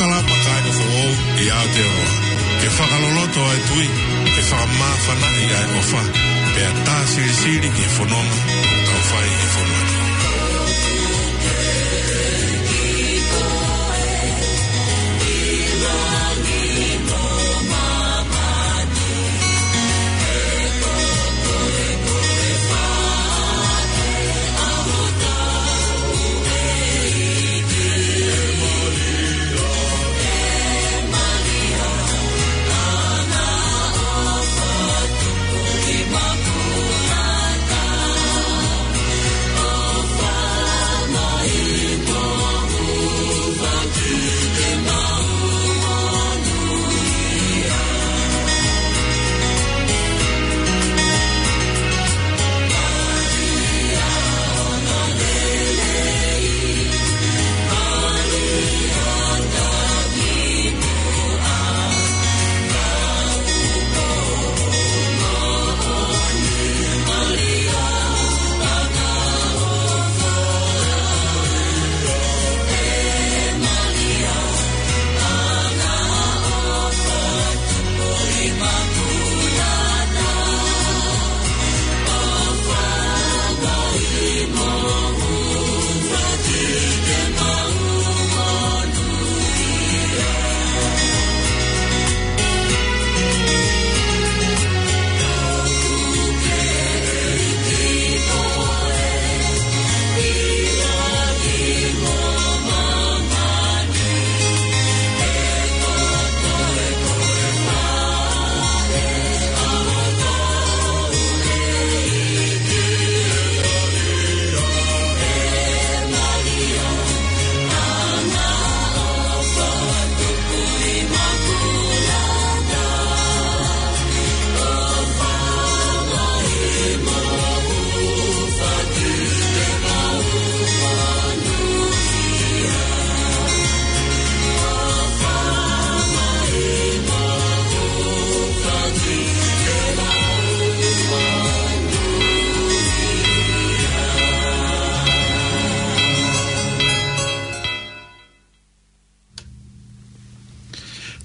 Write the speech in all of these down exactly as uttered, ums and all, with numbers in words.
Kalama kāinga foʻou ʻi Aotearoa. Ke fakaloloto ʻa e tui, ke fakamāfanaʻi ʻa e ʻofa, pea tā silisili ki he fononga ʻoku tau fai ʻi he fonua ni.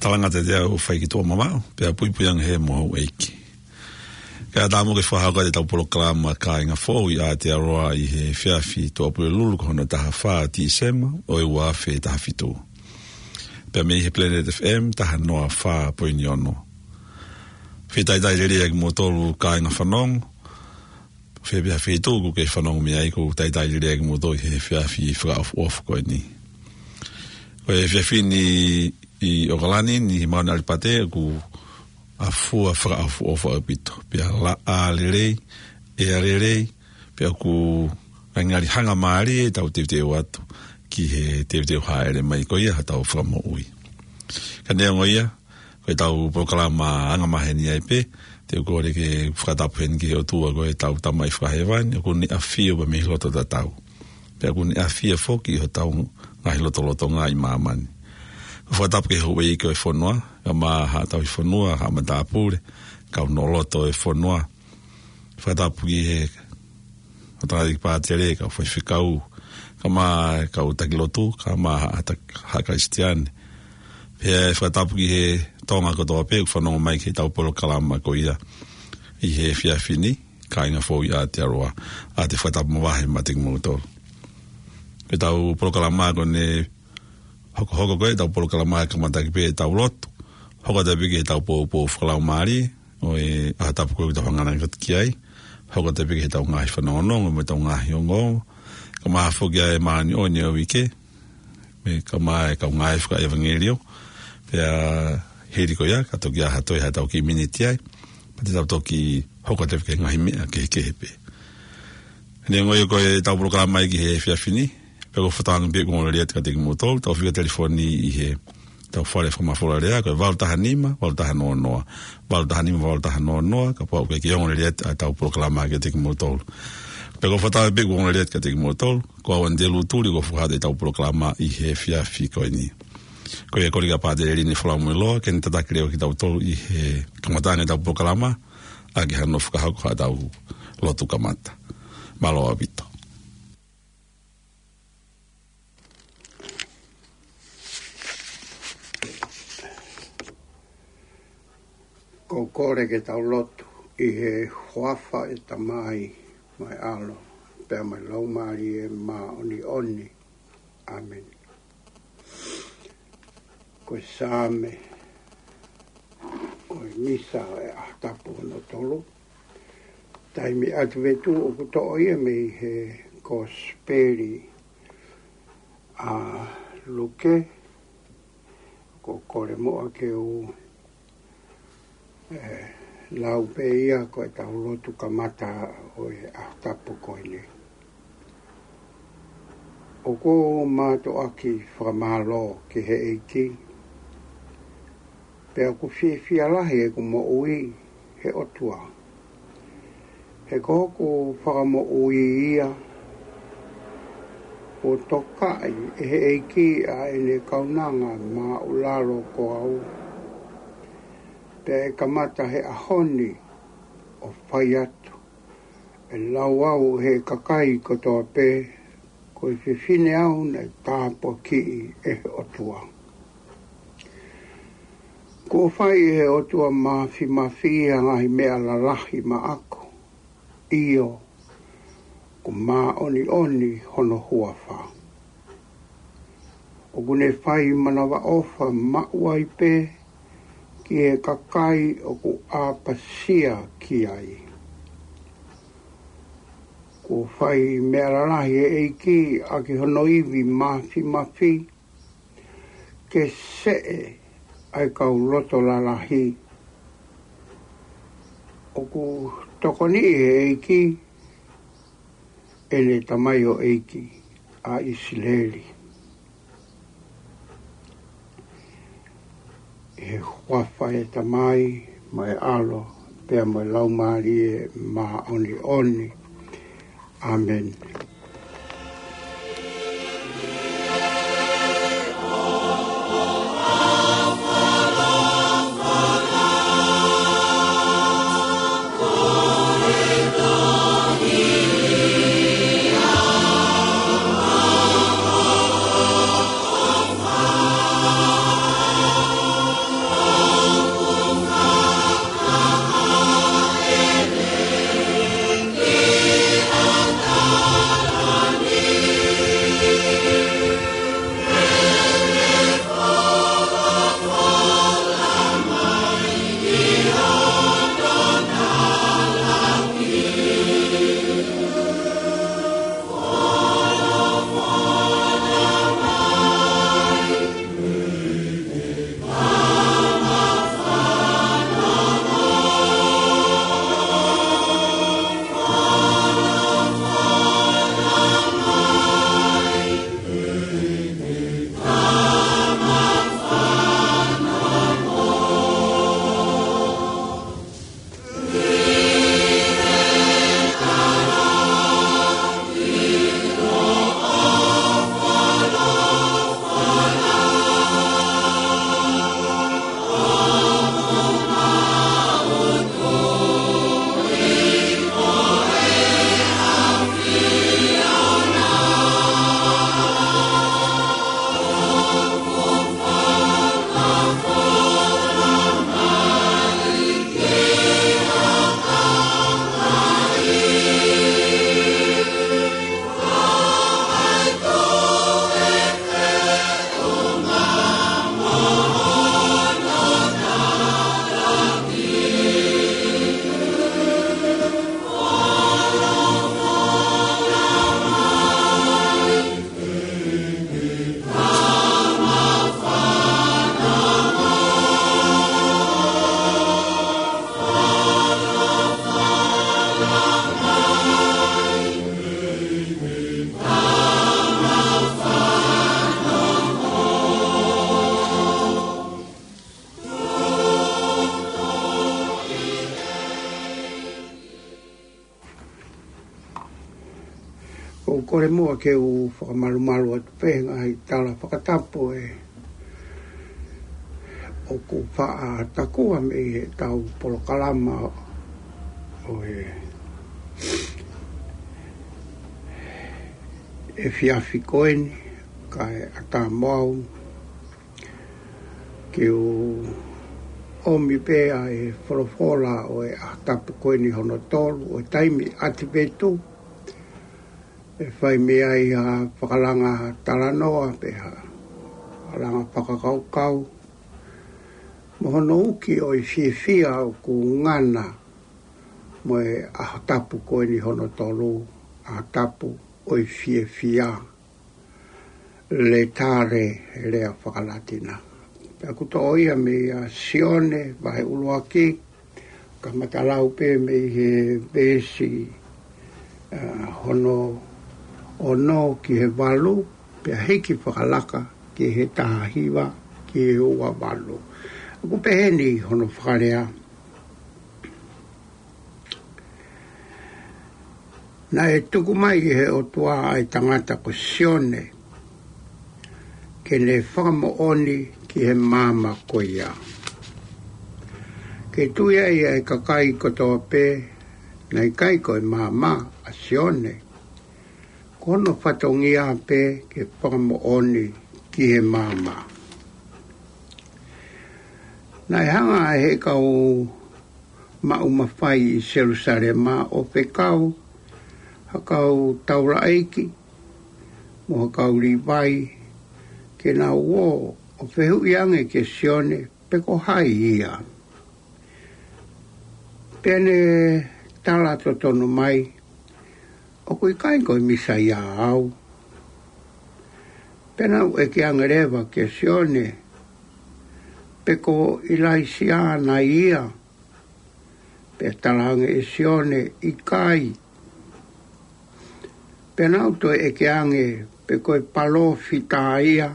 Talanga te te au fai ki tuʻa mamau, pea puipui ange he mo houʻeiki. Kae ʻatā muʻa ke fakahoko atu ʻetau polokalama Kāinga Foʻou ʻi Aotearoa ʻi he efiafi Tuʻapulelulu ko hono taha fā Tīsema ʻo e ua afe taha fitu. Pea mei he Planet F M taha noa fā poini ono. Fetaitai lelei ʻa kimoutolu kāinga fanongo. Fē pē ha feituʻu ʻoku ke fanongo mei ai, ʻoku ou talitali lelei ʻa kimoutolu he efiafi fakaʻofoʻofa ko eni. Ko e efiafi ni ʻi ʻOkalani ni, Mauna ʻAlipate, ʻoku afua fakaʻofoʻofa ʻaupito. Pea laʻā lelei, ʻea lelei, pea ʻoku ngali hanga mālie ʻetau teuteu atu ki he teuteu hāʻele mai ko ia hotau Fakamoʻui. Ka neongo ia, ko ʻetau polokalama angamaheni ai pē, te u kole ke fakatapu heni ki he ʻOtua ko ʻetau Tamai Fakahēvani, ʻoku ne ʻafio pē mei loto tatau. Pea ʻoku ne ʻafio foki ʻi hotau ngaahi lotolotonga ʻi māmani. Ko e fakatapu ki he houʻeiki ʻo e fonua, kae ʻumaʻā haʻa tauhi fonua, haʻa matāpule, kau noloto ʻo e fonua. Fakatapu ki he ʻo tangata ki pātele, kau faifekau, kae ʻumaʻā e kau taki lotu, kae ʻumaʻā haʻa tak-, haʻa Kalisitiane. Pea fakatapu ki he Tonga kotoa pē ʻoku fanongo mai ki heʻetau polokalama ko ia ʻi he efiafi ni, Kāinga Foʻou ʻi Aotearoa, ʻa e fakatapu mavahe maʻa kimoutolu. Ko ʻetau polokalama ko eni, hokohoko ko ʻetau polokalama ʻe kamata ʻaki pē ʻetau lotu. Hoko atu pē ki heʻetau poupou fakalaumālie, ʻo e ʻaho tapu ko ē ʻoku tau hanganaki atu ki ai. Hoko atu pē ki heʻetau ngaahi fanongonongo mo ʻetau ngaahi ongoongo. Kae ʻumaʻā foki ʻa e māʻoniʻoni ʻo e uike, mo e kaeʻumaʻā e kau ngāue fakaʻevangeliō. Pea hili ko ia, ka toki ʻi ai ha toe haʻatau kiʻi miniti ai, pea te tau toki hoko atu ki he ngaahi meʻa kehekehe pē. Neongo ia ko ʻetau polokalama ia ki he efiafi ni, pea ʻoku ou fakatauange pē ʻoku ou ongoongolelei atu kiate kimoutolu, tau fika telefoni ʻi heʻetau fale fakamafola lea, ko e valu taha nima, valu taha noa noa, valu taha nima, valu taha noa noa, kapau ʻoku ʻikai ke ongoongolelei atu ʻetau polokalama kiate kimoutolu. Pea ʻoku ou fakatauange pē ʻoku ou ongoongolelei atu kiate kimoutolu, ko au Anitelū Tuli, ʻoku ou fakahoko atu ʻetau polokalama ʻi he efiafi ko eni. Ko ia, kole kia Pātele Lini Folamuiloa ke ne tataki leva kitautolu ʻi he kamataʻanga ʻetau polokalama, ʻaki hano fakahoko haʻatau lotu kamata. Mālō ʻaupito. Ko e kole ke tau lotu. ʻI he huafa ʻo e Tamai, mo e ʻAlo, pea mo e Laumālie Māʻoniʻoni. ʻĀmeni. Ko e Saame ʻo e Misa ʻo e ʻAho Tapu hono tolu. Taimi ʻAtivetu ʻoku toʻo ia mei he Kosipeli ʻa Luke. Ko e kole muʻa ke u, eh, lau pē ia ko ʻetau lotu kamata ʻo e ʻaho tapu ko eni. ʻOku ou mātuʻaki fakamālō ki he ʻEiki, pea ʻoku fiefia lahi ʻeku moʻui he ʻOtua. He ko hoku fakamoʻui ia, kuo tokaʻi ʻe he ʻEiki ʻa ʻene kaunanga māʻulalo ko au. Pea ʻe kamata he ʻaho ni ʻo fai atu, ʻe lau au ʻe he kakai kotoa pē, ko e fefine au naʻe tāpuakiʻi ʻe he ʻOtua. Kuo fai ʻe he ʻOtua Māfimafi ʻa e ngaahi meʻa lalahi maʻaku. ʻIo, ʻoku māʻoniʻoni hono huafa. ʻOku ne fai manavaʻofa maʻu ai pē ki he kakai ʻoku ʻapasia ki ai. Kuo fai meʻa lalahi ʻe he ʻEiki ʻaki hono ivi māfimafi, ke seʻe ʻa e kau loto lalahi. ʻOku tokoniʻi ʻe he ʻEiki ʻene tamaioʻeiki ʻa ʻIsileli. ʻI he huafa ʻo e Tamai, mo e ʻAlo, pea mo e Laumālie Māʻoniʻoni. ʻĀmeni. ʻOku ou kole muʻa ke u fakamalumalu atu pē he ngaahi tala fakatapu ē ʻoku faʻa takua mei heʻetau polokalama ʻo e efiafi ko eni, kae ʻatā mo au ke u ʻomi pē ʻa e folofola ʻo e ʻaho tapu ko eni hono tolu ʻo e taimi ʻAtivetu. ʻE fai mei ai ha fakalanga talanoa pe ha fakalanga fakakaukau mo hono uki ʻo e fiefia ʻoku ngana mo e ʻaho tapu ko eni hono tolu, ʻaho tapu ʻo e fiefia. Laetare, he lea faka-Latina. Pea ʻoku toʻo ia mei a Sione, vahe ʻuluaki, kamata lau pē mei he veesi, ʻa, hono ono ki he valu, pea hiki fakalaka ki he taha hiva ki he ua valu. ʻOku pehē ni hono fakalea. Naʻe tuku mai ʻe he ʻOtua ʻa e tangata ko Sione, ke ne fakamoʻoni ki he maama ko ia, ke tui ai ʻa e kakai kotoa pē naʻe ʻikai ko e maama ʻa Sione, ko hono fatongia pē ke fakamoʻoni ki he maama. Naʻe hanga ʻe he kau maʻu mafai ʻi Selusalema ʻo fekau ha kau taulaʻeiki mo ha kau Līvai ke nau ō ʻo fehuʻi ange kia Sione pe ko hai ia. Pea ne tala totonu mai, ʻoku ʻikai ko e Mīsaia au. Pea nau ʻeke ange leva kia Sione pe ko ʻIlaisiā nai ia. Pea tala ange ʻe Sione, ʻikai. Pea nau toe ʻeke ange pe ko e palōfita ia.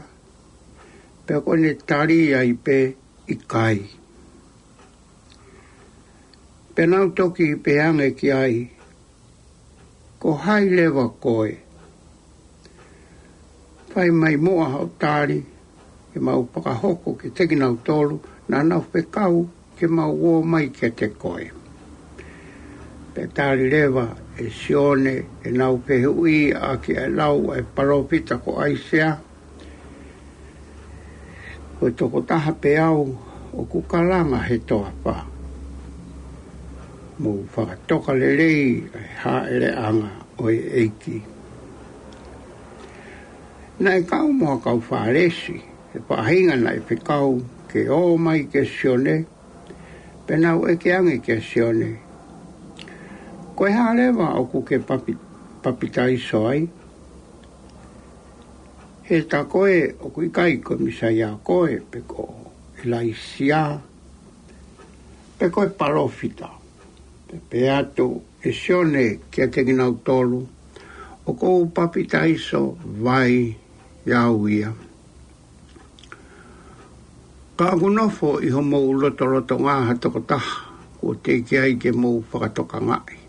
Pea ko ʻene tali ai pē, ʻikai. Pea nau toki pehē ange ki ai, ko hai leva koe? Fai mai muʻa hoʻo tali, ke mau fakahoko kiate kinautolu naʻa nau fekau ke mau ō mai kiate koe. Pea tali leva ʻe Sione ʻenau fehuʻi ʻaki ʻa e lau ʻa e palōfita ko ʻAisea, ko e tokotaha pē au ʻoku kalanga he toafa, mou fakatoka lelei ʻa e hāʻeleʻanga ʻo e ʻEiki. Naʻe kau mo ha kau Fālesi ʻa e faʻahinga naʻe fekau ke ō mai kia Sione, pea nau ʻeke ange kia Sione, ko e hā leva ʻoku ke papi-, papitaiso ai? He tā koe ʻoku ʻikai ko e Mīsaia koe, pe ko ʻIlaisiā, pe ko e palōfita. Pea pehē atu ʻe Sione kiate kinautolu, ʻoku ou papitaiso vai au ia. Ka ʻoku nofo ʻi homou lotolotonga ha tokotaha kuo teʻeki ai ke mou fakatokangaʻi.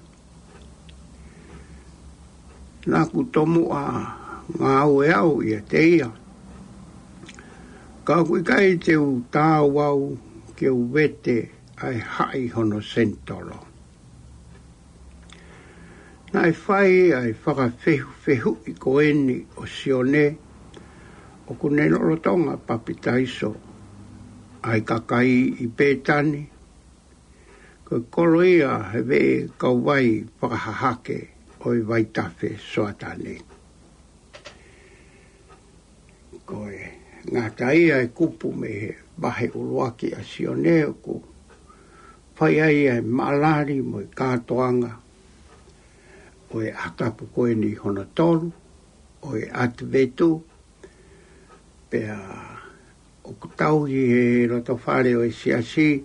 Naʻa ku tomuʻa ngāue au ʻiate ia. Ka ʻoku ʻikai te u taau au ke u vete ʻa e haʻi hono senitolo. Naʻe fai ʻa e fakafehufehuʻi ko eni ʻo Sione, ʻoku ne lolotonga papitaiso ʻa e kakai ʻi Pētani, ko e kolo ia he veʻe kauvai fakahahake ʻo e vaitafe Soatani. Ko e ngata ia e kupu mei he vahe ʻuluaki ʻa Sione ʻoku fai ai ʻa e maʻalali mo e kātoanga ʻo e ʻaho tapu ko eni hono tolu ʻo e ʻAtivetu. Pea ʻoku tauhi he loto fale ʻo e siasi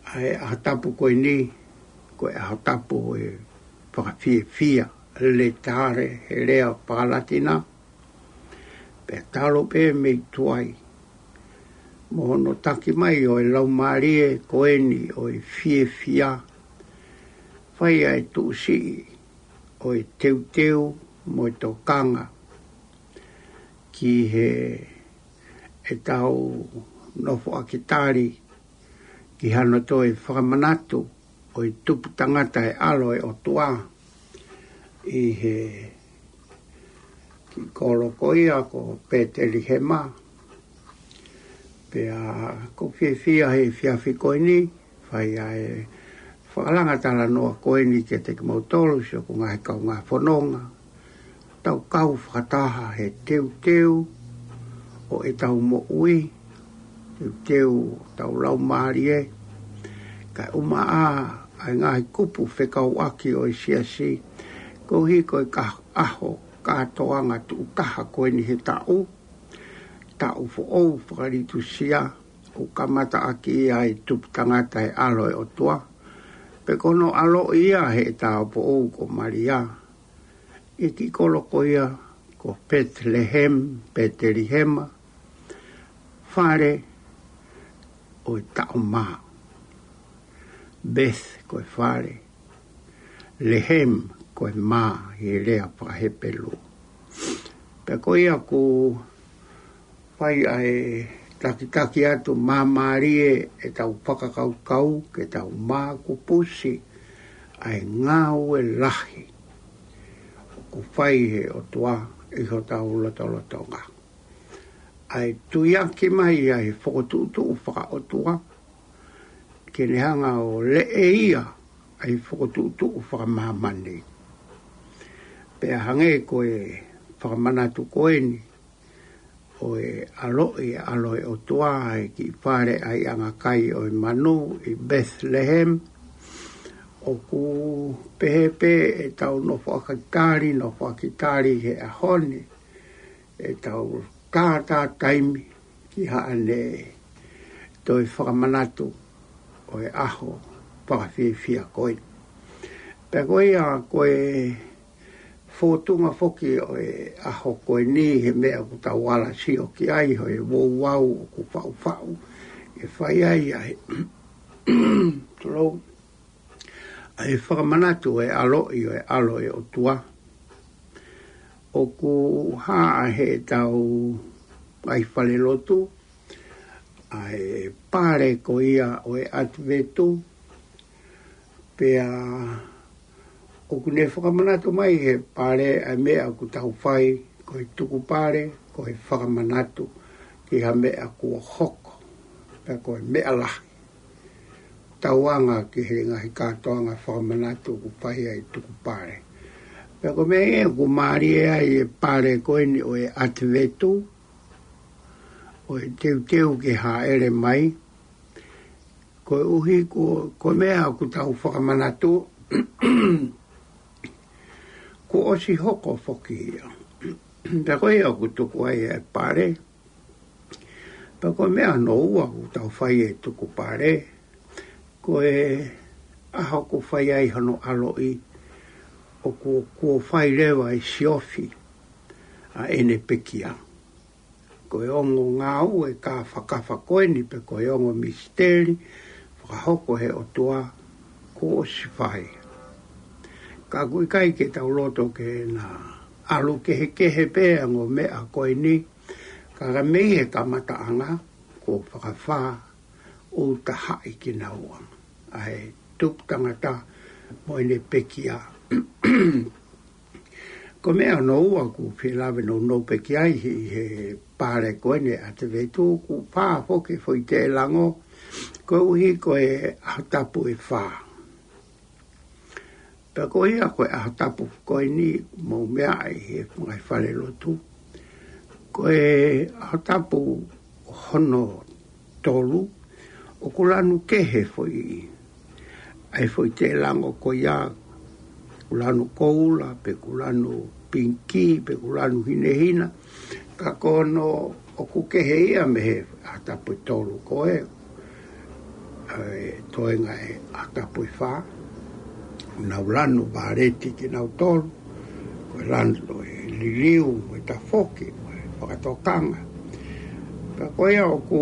ʻa e ʻaho tapu ko eni, ko e ʻaho tapu ʻo e fakafiefia, laetare, he lea faka-Latina. Pea talu pē mei tuai mo hono taki mai ʻo e laumālie ko eni ʻo e fiefia, fai ʻa e tuʻusiʻi ʻo e teuteu mo e tokanga ki he ʻetau nofoʻaki tali ki hano toe fakamanatu ʻo e tupu tangata e ʻAlo ʻo e ʻOtua ʻi he kiʻi kolo ko ia ko Pētelihema. Pea ʻoku ou fiefia he efiafi ko eni, fai ʻa e fakalanga talanoa ko eni kiate kimoutolu, siʻoku ngaahi kaungā fononga. Tau kau fakataha he teuteu ʻo ʻetau moʻui, teuteu ʻetau laumālie, kae ʻumaʻā ʻa e ngaahi kupu fekauʻaki ʻo e siasi, koeʻuhi ko e ka-, ʻaho kātoanga tuʻu taha ko eni he taʻu, taʻu foʻou fakalitusia, ʻoku kamata ʻaki ia ʻa e tupu tangata ʻa e ʻAlo ʻo e ʻOtua, pe ko hono ʻaloʻi ia ʻe he tāupoʻou ko Malia, ʻi he kiʻi kolo ko ia ko Petelihema, Petelihema, fale ʻo e taʻu mā. Beth ko e fale, Lehem ko e mā ʻi he lea faka-Hepelū. Pea ko ia ʻoku fai ʻa e takitaki atu māmālie ʻetau fakakaukau ke tau mākupusi ʻa e ngāue lahi ʻoku fai ʻe he ʻOtua ʻi hotau lotolotonga. ʻA e tuiaki mai ʻa e fokotuʻutuʻu fakaʻotua, ke ne hanga ʻo leʻeia ʻa e fokotuʻutuʻu fakamāmani. Pea hangē ko e fakamanatu ko eni ʻo e ʻaloʻi ʻa e ʻAlo ʻo e ʻOtua ʻi he kiʻi fale ʻaiʻanga kai ʻo e manu ʻi Bethlehem, ʻoku pehē pē ʻetau nofo ʻaki tali, nofo ʻaki tali he ʻaho ni, ʻetau tātā taimi ki haʻane toe fakamanatu ʻo e ʻaho fakafiefia ko ē. Pea ko ia ko e fōtunga foki ʻo e ʻaho ko eni he meʻa ʻoku tau ala sio ki ai, ʻo e ouau ʻoku faʻufaʻu, ʻe fai ai ʻa e, tulou, ʻa e fakamanatu ʻo e ʻaloʻi ʻo e ʻAlo ʻo e ʻOtua. ʻOku hā ʻa heʻetau ngaahi falelotu ʻa e pale ko ia ʻo e ʻAtivetu, pea ʻoku ne fakamanatu mai he pale ʻa e meʻa ʻoku tau fai, ko e tukupale, ko e fakamanatu ki ha meʻa kuo hoko, pea ko e meʻa lahi. Tauanga ki he ngaahi kātoanga fakamanatu ʻoku fai ʻa e tukupale. Pea ko e meʻa ia ʻoku mālie ai e pale ko eni ʻo e ʻAtivetu, ʻo e teuteu ke hāʻele mai, koeʻuhi ko, ko e meʻa ʻoku tau fakamanatu, kuo ʻosi hoko foki ia. Pea ko ia ʻoku tuku ai e pale. Pea ko e meʻa hono ua ʻoku tau fai e tukupale, ko e ʻaho ʻoku fai ai hono ʻaloʻi, ʻoku, kuo fai leva e siofi ʻa ʻene pekia. Ko e ongo ngāue kāfakafa ko eni pe ko e ongo misiteli fakahoko ʻe he ʻOtua kuo ʻosi fai. Ka ʻoku ʻikai ke tau loto ke na ʻalu kehekehe pē ʻa e ongo meʻa ko eni, ka ka mei he kamataʻanga kuo fakafā ʻo tahaʻi kinaua ʻa e tupu tangata mo ʻene pekia. Ko e meʻa hono ua ʻoku ou fie lave nounou pē ki ai ʻi he pale ko eni ʻAtivetu, ʻoku fā foki e foʻi tēlango, koeʻuhi ko e ʻaho tapu ʻe fā. Pea ko ia ko e ʻaho tapu ko eni, mou meaʻi he ngaahi falelotu, ko e ʻaho tapu hono tolu, ʻoku lanu kehe foʻi, ʻa e foʻi tēlango ko ia, ʻoku lanu koula, pe ʻoku lanu pingikī, pe ʻoku lanu hinehina, ka ko hono ʻoku kehe ia mei he ʻaho tapu ʻe tolu ko ē, ʻa e toenga e ʻaho tapu ʻe fā. Nau lanu vāleti kinautolu, ko e lanu ʻo e liliu, mo e tafoki, mo e fakatokanga. Pea ko ia ʻoku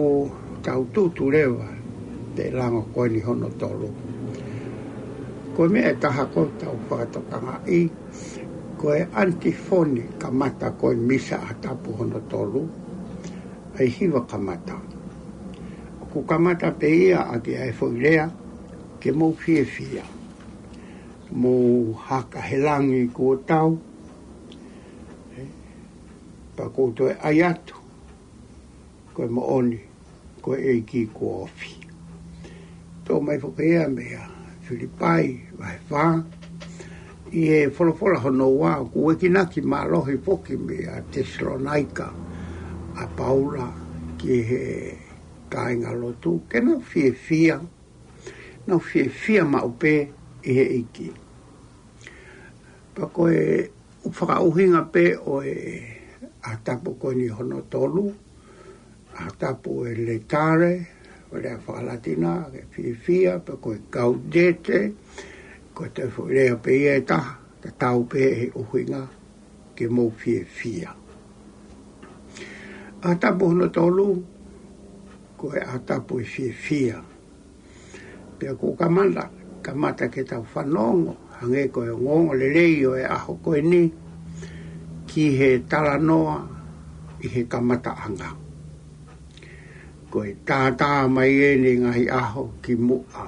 tau tutu leva, tēlango ko eni hono tolu. Ko e meʻa ʻe taha ʻoku tau fakatokangaʻi, ko e antifoni kamata ko e misa ʻaho tapu hono tolu, ʻa e hiva kamata. ʻOku kamata pē ia ʻaki ʻa e foʻi lea, ke mou fiefia, mou haka he langi kuo tau, ē, pea ʻoku ou toe ʻai atu, ko e moʻoni, ko e ʻEiki kuo ofi. Toʻo mai foki ia mei a Filipai vahe fā, ʻi he folofola hono ua, ʻoku ʻuhinga ki he mālohi foki mei a Tesalonaika ʻa Paula ki he kāingalotu, ke nau fiefia, nau fiefia maʻu pē ʻi he ʻEiki. Pea ko e ʻuhinga pē ʻo e ʻaho tapu ko eni hono tolu, ʻaho tapu e Laetare, ʻo e lea faka-Latina, ke fiefia, pea ko e Gaudete, ko e toe foʻi lea pē ia ʻe taha, tatau pē he ʻuhinga ke mou fiefia. ʻAho tapu hono tolu, ko e ʻaho tapu e fiefia. Pea ʻoku kamata, kamata ke tau fanongo, hangē ko e ongoongolelei ʻo e ʻaho ko eni, ki he talanoa ʻi he kamataʻanga. Ko e tātā mai eni ngaahi ʻaho ki muʻa,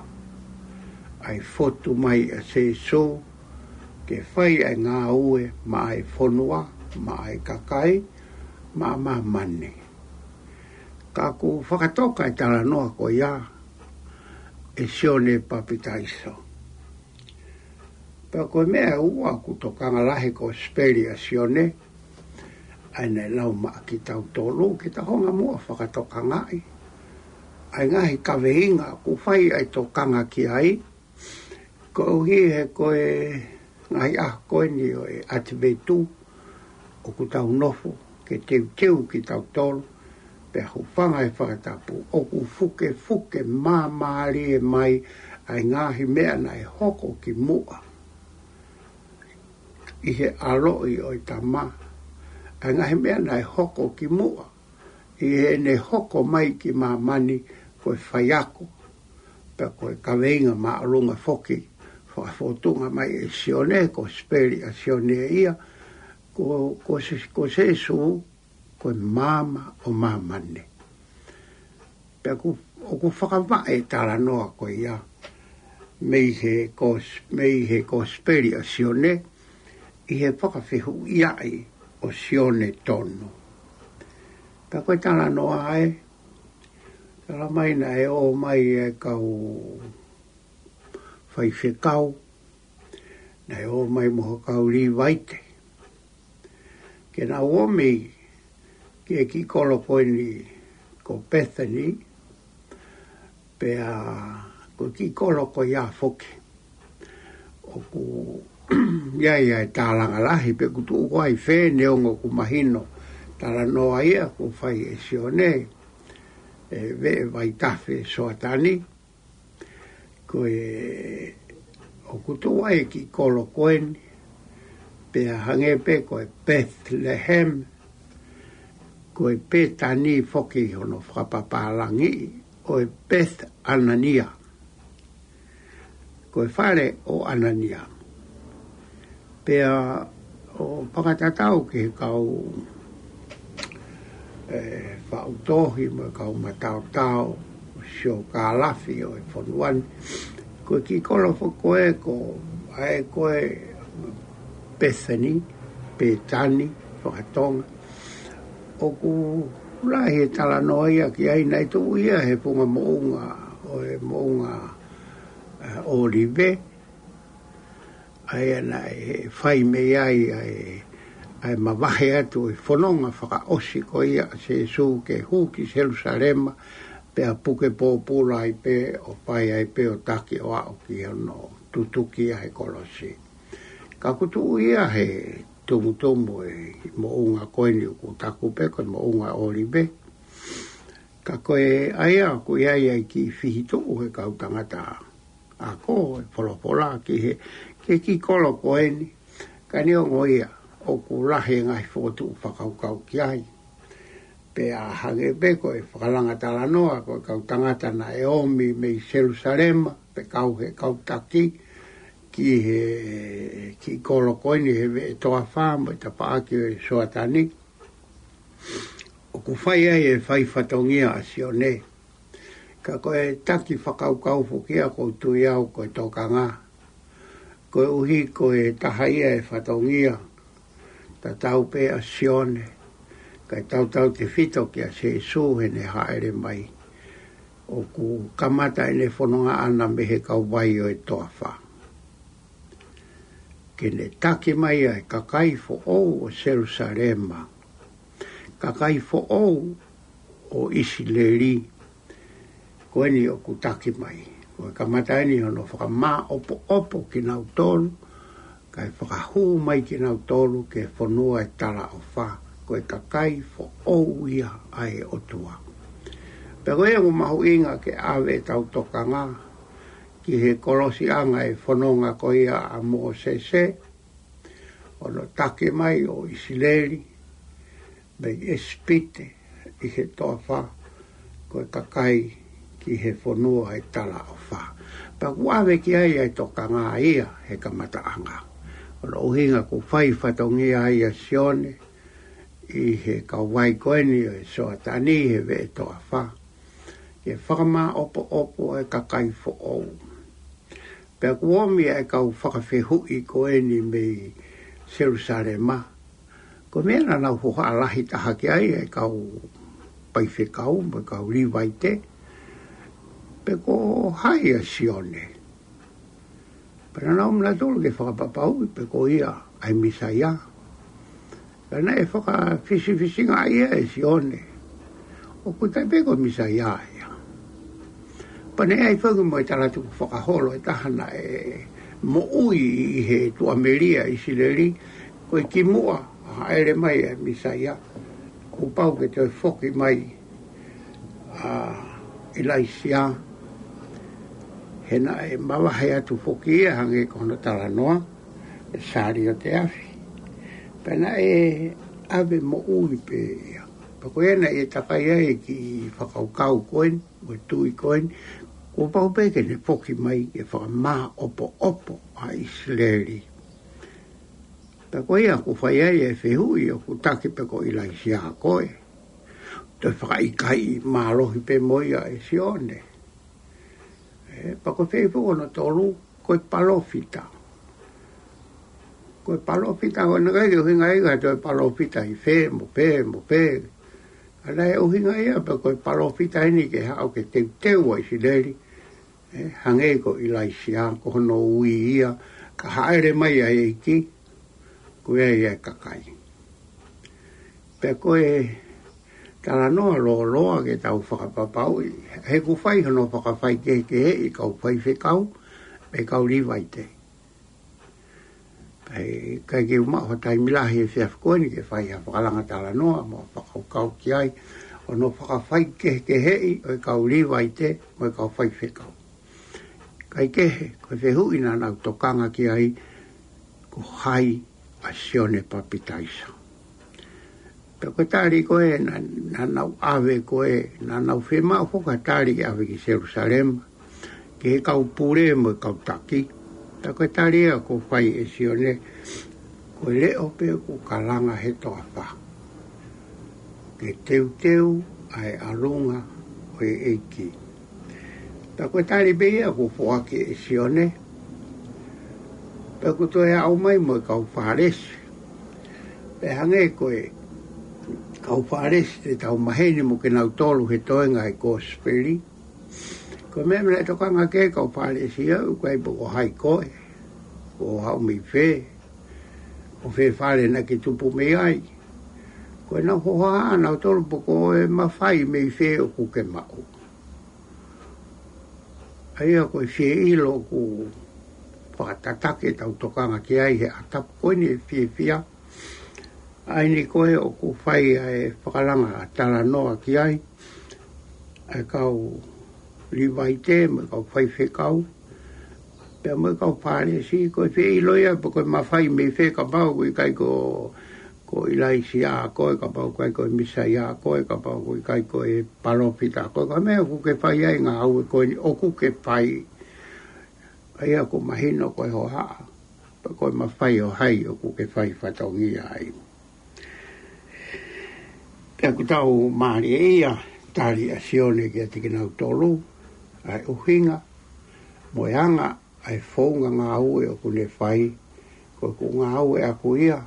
ʻa e fotu mai ʻa Sēsū, ke fai ʻa e ngāue maʻa e fonua, maʻa e kakai, maʻa māmani. Ka ʻoku fakatoka e talanoa ko ia ʻe Sione Papitaiso. Pea ko e meʻa ʻe ua ʻoku tokanga lahi he Kosipeli ʻa Sione, ʻa ia naʻe lau maʻa kitautolu, ke tau hanga muʻa fakatokangaʻi ʻa e ngaahi kaveinga ʻoku fai ʻa e tokanga ki ai, koeʻuhi he ko e ngaahi ʻaho ko eni ʻo e ʻAtivetu, ʻoku tau nofo ke teuteu kitautolu, pea hūfanga he fakatapu, ʻoku fukefuke māmālie mai ʻa e ngaahi meʻa naʻe hoko ki muʻa ʻi he ʻaloʻi ʻo e Tamai, ʻa e ngaahi meʻa naʻe hoko ki muʻa ʻi heʻene hoko mai ki māmani, ko e faiako, pea ko e kaveinga māʻolunga foki, fakafōtunga mai ʻe Sione, Kosipeli ʻa Sione ia, ko, ko Sē-, ko Sēsū, ko e maama ʻo māmani. Pea ʻoku, ʻoku fakavaʻe e talanoa ko ia mei he Kos-, mei he Kosipeli ʻa Sione, ʻi he fakafehuʻiaʻi ʻo Sione tonu. Pea ko e talanoa ē, tala mai naʻe ō mai e kau faifekau, naʻe ō mai mo e kau Līvaite, ke nau ō mai ki he kiʻi kolo ko eni ko Pētani, pea ko e kiʻi kolo ko ia foki ʻoku ʻi ai ʻa e tālanga lahi, pe ʻoku tuʻu ko ā ʻi fē, neongo ʻoku mahino talanoa ia ʻoku fai ʻe Sione, e veʻe vaitafe Soatani. Ko e ʻoku tuʻu ai e kiʻi kolo ko eni, pea hangē pē ko e Bethlehem, ko e Pētani foki hono fakapapālangi, ʻo e Beth Anania, ko e fale ʻo Anania. Pea ʻo fakatatau ki he kau, e, faʻu tohi mo e kau mataotao, siokālafi ʻo e fonua ni, ko e kiʻi kolo foki ko ē ko, ʻa ē ko e Pētani, Pētani, fakatonga. ʻOku lahi e talanoa ia ki ai, naʻe tuʻu ia he funga moʻunga, ʻo e moʻunga, e, ʻŌlive, ʻa ia naʻe fai mei ai ʻa e, ʻa e mavahe atu e fononga fakaʻosi ko ia ʻa Sēsū ke hū ki Selusalema, pea puke pōpula ai pē, ʻo fai ai pē ʻo taki ʻo aʻu ki hono tutuki ʻa e kolosi. Ka ʻoku tuʻu ia he tumutumu e moʻunga ko eni ʻoku taku pē ko e moʻunga ʻŌlive. Ka ko e ʻa ia ʻoku ʻi ai ʻa e kiʻi fihituʻu he kau tangata ako e folofola ki he, ki he kiʻi kolo ko eni, ka neongo ia ʻoku lahi e ngaahi fokotuʻu fakakaukau ki ai. Pea hangē pē ko e fakalanga talanoa, ko e kau tangata naʻe ō mai mei Selusalema, pe kau he kau taki, ki he kiʻi kolo ko eni he veʻe toafa mo e tapaʻaki ʻo e Soatani, ʻoku fai ai e fai fatongia ʻa Sione. Ka ko e taki fakakaukau foki ia ʻoku ou tui au ko e tokanga, koeʻuhi ko e taha ia e fatongia, tatau pē ʻa Sione, kae tautautefito kia Sēsū heʻene hāʻele mai. ʻoku kamata ʻene fononga ʻana mei he kauvai ʻo e toafa, ke ne taki mai ʻa e kakai foʻou ʻo Selusalema, kakai foʻou ʻo ʻIsileli, ko eni ʻoku taki mai. Ko e kamata eni hono fakamāʻopoʻopo kinautolu, kae fakahū mai kinautolu ki he fonua ʻo e talaʻofa, ko e kakai foʻou ia ʻa e ʻOtua. Pea ko ia ʻoku mahuʻinga ke ʻave ʻetau tokanga ki he kolosiʻanga ʻo e fononga ko ia ʻa Mōsese, hono taki mai ʻo ʻIsileli mei ʻIsipite ʻi he toafa, ko e kakai ki he fonua ʻo e talaʻofa. Pea ʻoku ʻave ki ai ʻa e tokanga ia he kamataʻanga. Ko hono ʻuhinga ʻoku fai fatongia ai ʻa Sione ʻi he kauvai ko eni ʻo e Soatani he veʻe toafa, ke fakamāʻopoʻopo ʻa e kakai foʻou. Pea ʻoku ʻomi ʻa e kau fakafehuʻi ko eni mei Selusalema. Ko e meʻa naʻa nau hohaʻa lahi taha ki ai ʻa e kau faifekau mo e kau Līvaite, pe ko hai ʻa Sione. Pea naʻa nau ō nautolu ke fakapapauʻi pe ko ia ʻa e Mīsaia. Pea naʻe fakafisifisingaʻi ia ʻe Sione, ʻoku ʻikai pē ko e Mīsaia ia. Pea naʻe ʻi ai foki mo e talatukufakaholo ʻe taha naʻe moʻui ʻi he tuʻamelie ʻa ʻIsileli, ko e kimuʻa ʻa e hāʻele mai ʻa e Mīsaia, kuo pau ke toe foki mai ʻa ʻIlaisiā, he naʻe mavahe atu foki ia hangē ko hono talanoa, ʻe sāliote afi. Pea naʻe ʻave moʻui pē ia. Pea ko ia naʻe takai ai e kiʻi fakakaukau ko eni, mo e tui ko eni, kuo pau pē ke ne foki mai ke fakamāʻopoʻopo ʻa ʻIsileli. Pea ko ia ʻoku fai ai e fehuʻi, ʻoku taki pe ko ʻIlaisiā koe. Toe fakaʻikaiʻi mālohi pē mo ia ʻe Sione. ʻE, pea ko e fehuʻi foki hono tolu, ko e palōfita. Ko e palōfita, ko e ʻikai ke ʻuhinga ia ko e palōfita ʻi fē, mo fē, mo fē. Ka naʻe ʻuhinga ia pe ko e palōfita eni ke haʻu ke teuteu ʻa ʻIsileli, ʻe, hangē ko ʻIlaisiā, ko hono ui ia, ka hāʻele mai ʻa e ʻEiki, ko ia ia e kakai. Pea ko e talanoa lōloa ke tau fakapapauʻi, he ʻoku fai hono fakafaikehekeheʻi ʻa e kau faifekau mo e kau Līvaite. Pea ʻikai ke u maʻu ha taimi lahi he efiafi ko eni ke fai ha fakalanga talanoa mo fakakaukau ki ai, hono fakafaikehekeheʻi ʻo e kau Līvaite mo e kau faifekau. Kae kehe, ko e fehuʻi naʻa nau tokanga ki ai, ko hai ʻa Sione Papitaiso. Pea ko e tali ko ē naʻa, naʻa nau ʻave ko ē, naʻa nau fiemaʻu foki ha tali ke ʻave ki Selusalema, ki he kau pule mo e kau taki. Pea ko e tali ia ʻoku fai ʻe Sione, ko e leʻo pē ʻoku kalanga he toafa, ke teuteu ʻa e ʻalunga ʻo e ʻEiki. Pea ko e tali pē ia ʻoku foaki ʻe Sione, pea ʻoku toe aʻu mai mo e kau Fālesi. Pea hangē ko e kau Fālesi te tau maheni mo kinautolu he toenga ʻo e kosipeli. Ko e meʻa naʻe tokanga ki ai e kau Fālesi ia, ʻoku ʻikai pe ko hai koe, ʻoku haʻu mei fē, ko fē fale naʻa ke tupu mei ai. Ko ʻenau hohaʻa ʻanautolu pe ko e mafai mei fē ʻoku ke maʻu. ʻA ia ko e fie ʻilo ʻoku fakatataki ʻetau tokanga ki ai he ʻaho tapu ko eni ʻe fiefia. ʻA eni ko ē ʻoku fai ʻa e fakalanga talanoa ki ai, ʻa e kau Līvaite mo e kau faifekau, pea mo e kau Fālesi, ko e fie ʻilo ia pe ko e mafai mei fē, kapau ʻoku ʻikai ko, ko ʻIlaisiā koe, kapau ʻoku ʻikai ko e Mīsaia koe, kapau ʻoku ʻikai ko e palōfita koe, ko e meʻa ʻoku ke fai ai e ngāue ko eni ʻoku ke fai. ʻA ia ʻoku mahino ko e hohaʻa, pe ko e mafai ʻo hai ʻoku ke fai fatongia ai. Pea ʻoku tau mālieʻia e tali ʻa Sione kiate kinautolu, ʻa e ʻuhinga mo e anga ʻa e founga ngāue ʻoku ne fai, ko ʻeku ngāue ʻaʻaku ia,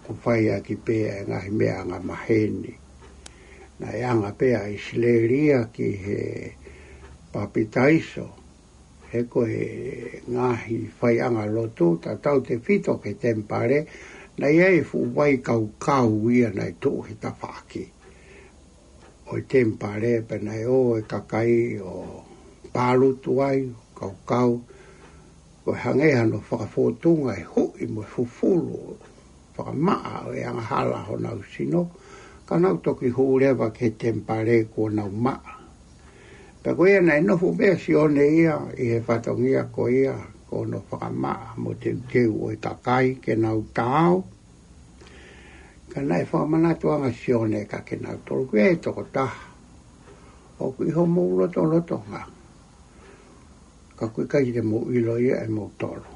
ʻoku fai ʻaki pē ʻa e ngaahi meʻa angamaheni. Naʻe anga pē ʻa ʻIsileli ia ki he papitaiso, he ko e ngaahi faiʻanga lotu, tautautefito ki he temipale, naʻe ʻi ai e fuʻu vai kaukau ia naʻe tuʻu he tafaʻaki ʻo e temipale, pea naʻe ō e kakai ʻo palutu ai, kaukau, ko e hangē hano fakafōtunga e huʻi mo e fufulu fakamaʻa ʻo e angahala honau sino, ka nau toki hū leva ki he temipale kuo nau maʻa. Pea ko ia naʻe nofo pē ʻa Sione ia ʻi he fatongia ko ia, ko hono fakamaʻa mo teuteu ʻo e kakai ke nau taau. Ka naʻe fakamanatu ange ʻa Sione kiate kinautolu, ko e tokotaha ʻoku ʻi homou lotolotonga, ka ʻoku ʻikai te mou ʻilo ia ʻe moutolu.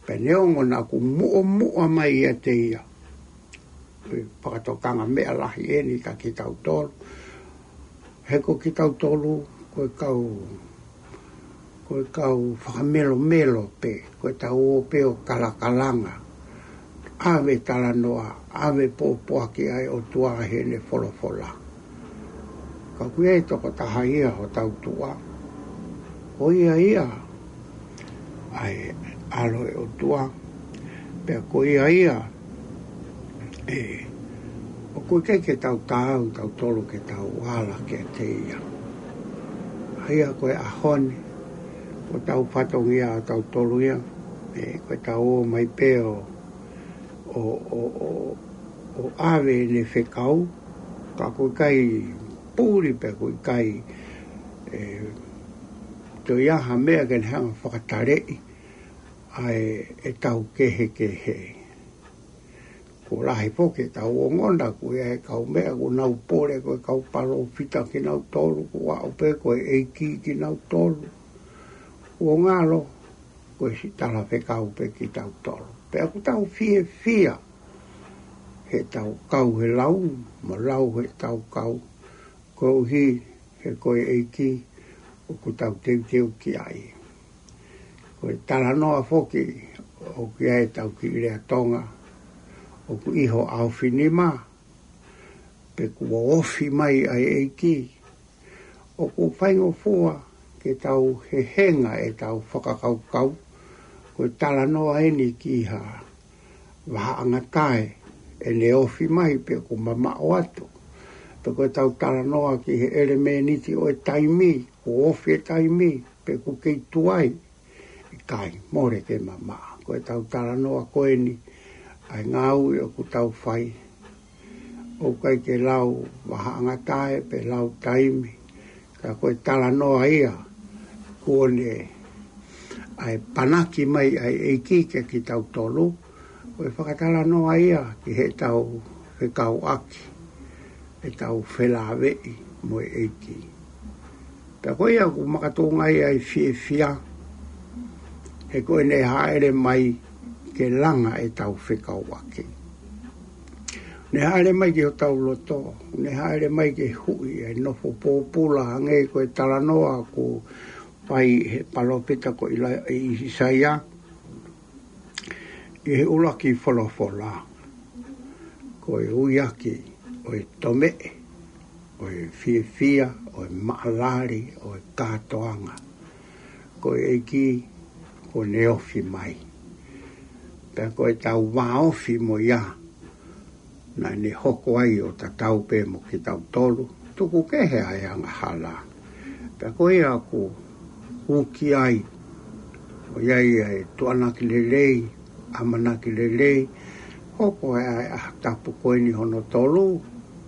Pea neongo naʻa ku muʻomuʻa mai ʻiate ia, ko e fakatokanga meʻa lahi eni kiate kitautolu. He ko kitautolu, ko e kau, ko e kau fakamelomelo pē, ko ʻetau ō pē ʻo kalakalanga, ʻave talanoa, ʻave pōpoaki ʻa e ʻOtua heʻene folofola. Ka ʻoku ʻi ai e tokotaha ia hotau tuʻa, ko ia ia ʻa e ʻAlo ʻo e ʻOtua, pea ko ia ia ē, ʻoku ʻikai ke tau taau tautolu ke tau ala kiate ia. ʻA ia ko e ʻaho ni, ko hotau fatongia ʻa tautolu ia, ē, ko ʻetau ō mai pē ʻo, ʻo, ʻo, ʻo, ʻo ʻave ʻene fekau, ka ʻoku ʻikai puli pea ʻoku ʻikai, ē, toe ʻi ai ha meʻa ke ne hanga ʻo fakataleʻi ʻa e, ʻetau kehekehe. Kuo lahi foki ʻetau ongona, ʻoku ʻi ai e kau meʻa, kuo nau pole ko e kau palōfita kinautolu, kuo aʻu pē ko e ʻEiki kinautolu. Kuo ngalo, ko e siʻi talafekau pē kitautolu. Pea ʻoku tau fiefia heʻetau kau he lau, mo lau heʻetau kau, koeʻuhi he ko e ʻEiki ʻoku tau teuteu ki ai. Ko e talanoa foki ʻoku ʻi ai ʻetau kiʻi lea Tonga, ʻoku ʻi ho ʻaofinima, pe kuo ofi mai ʻa e ʻEiki. ʻOku faingofua ke tau hehenga ʻetau fakakaukau, ko e talanoa eni ki ha vahaʻangatae ʻene ofi mai pe ʻoku mamaʻo atu. Pe ko ʻetau talanoa ki he ʻelemēniti ʻo e taimi, kuo ofi e taimi, pe ʻoku kei tuai. ʻIkai, mole ke mamaʻo. Ko ʻetau talanoa ko eni, ʻa e ngāue ʻoku tau fai, ʻoku ʻikai ke lau vahaʻangatae pe lau taimi, ka ko e talanoa ia kuo ne ʻai panaki mai ʻa e ʻEiki kiate kitautolu, ko e fakatalanoa ia ki heʻetau fekauʻaki, ʻetau felāveʻi mo e ʻEiki. Pea ko ia ʻoku makatuʻunga ai ʻa e fiefia, he ko ʻene hāʻele mai ke langa ʻetau fekauʻaki. Ne hāʻele mai ki hotau loto, ne hāʻele mai ke huʻi e nofo pōpula, hangē ko e talanoa ʻoku fai he palōfita ko ʻIla-, ʻIsaia, ʻi he ʻuluaki folofola. Ko e uiaki ʻo e tomeʻe, ʻo e fiefia, ʻo e maʻalali, ʻo e kātoanga, ko e ʻEiki kuo ne ofi mai. Pea ko ʻetau vāofi mo ia, naʻa ne hoko ai ʻo tatau pē mo kitautolu, tuku kehe ʻa e angahala. Pea ko ia ʻoku uki ai, ʻoku ʻi ai ʻa e tuʻuaki lelei, ʻamanaki lelei, hoko ai ʻa e ʻaho tapu ko eni hono tolu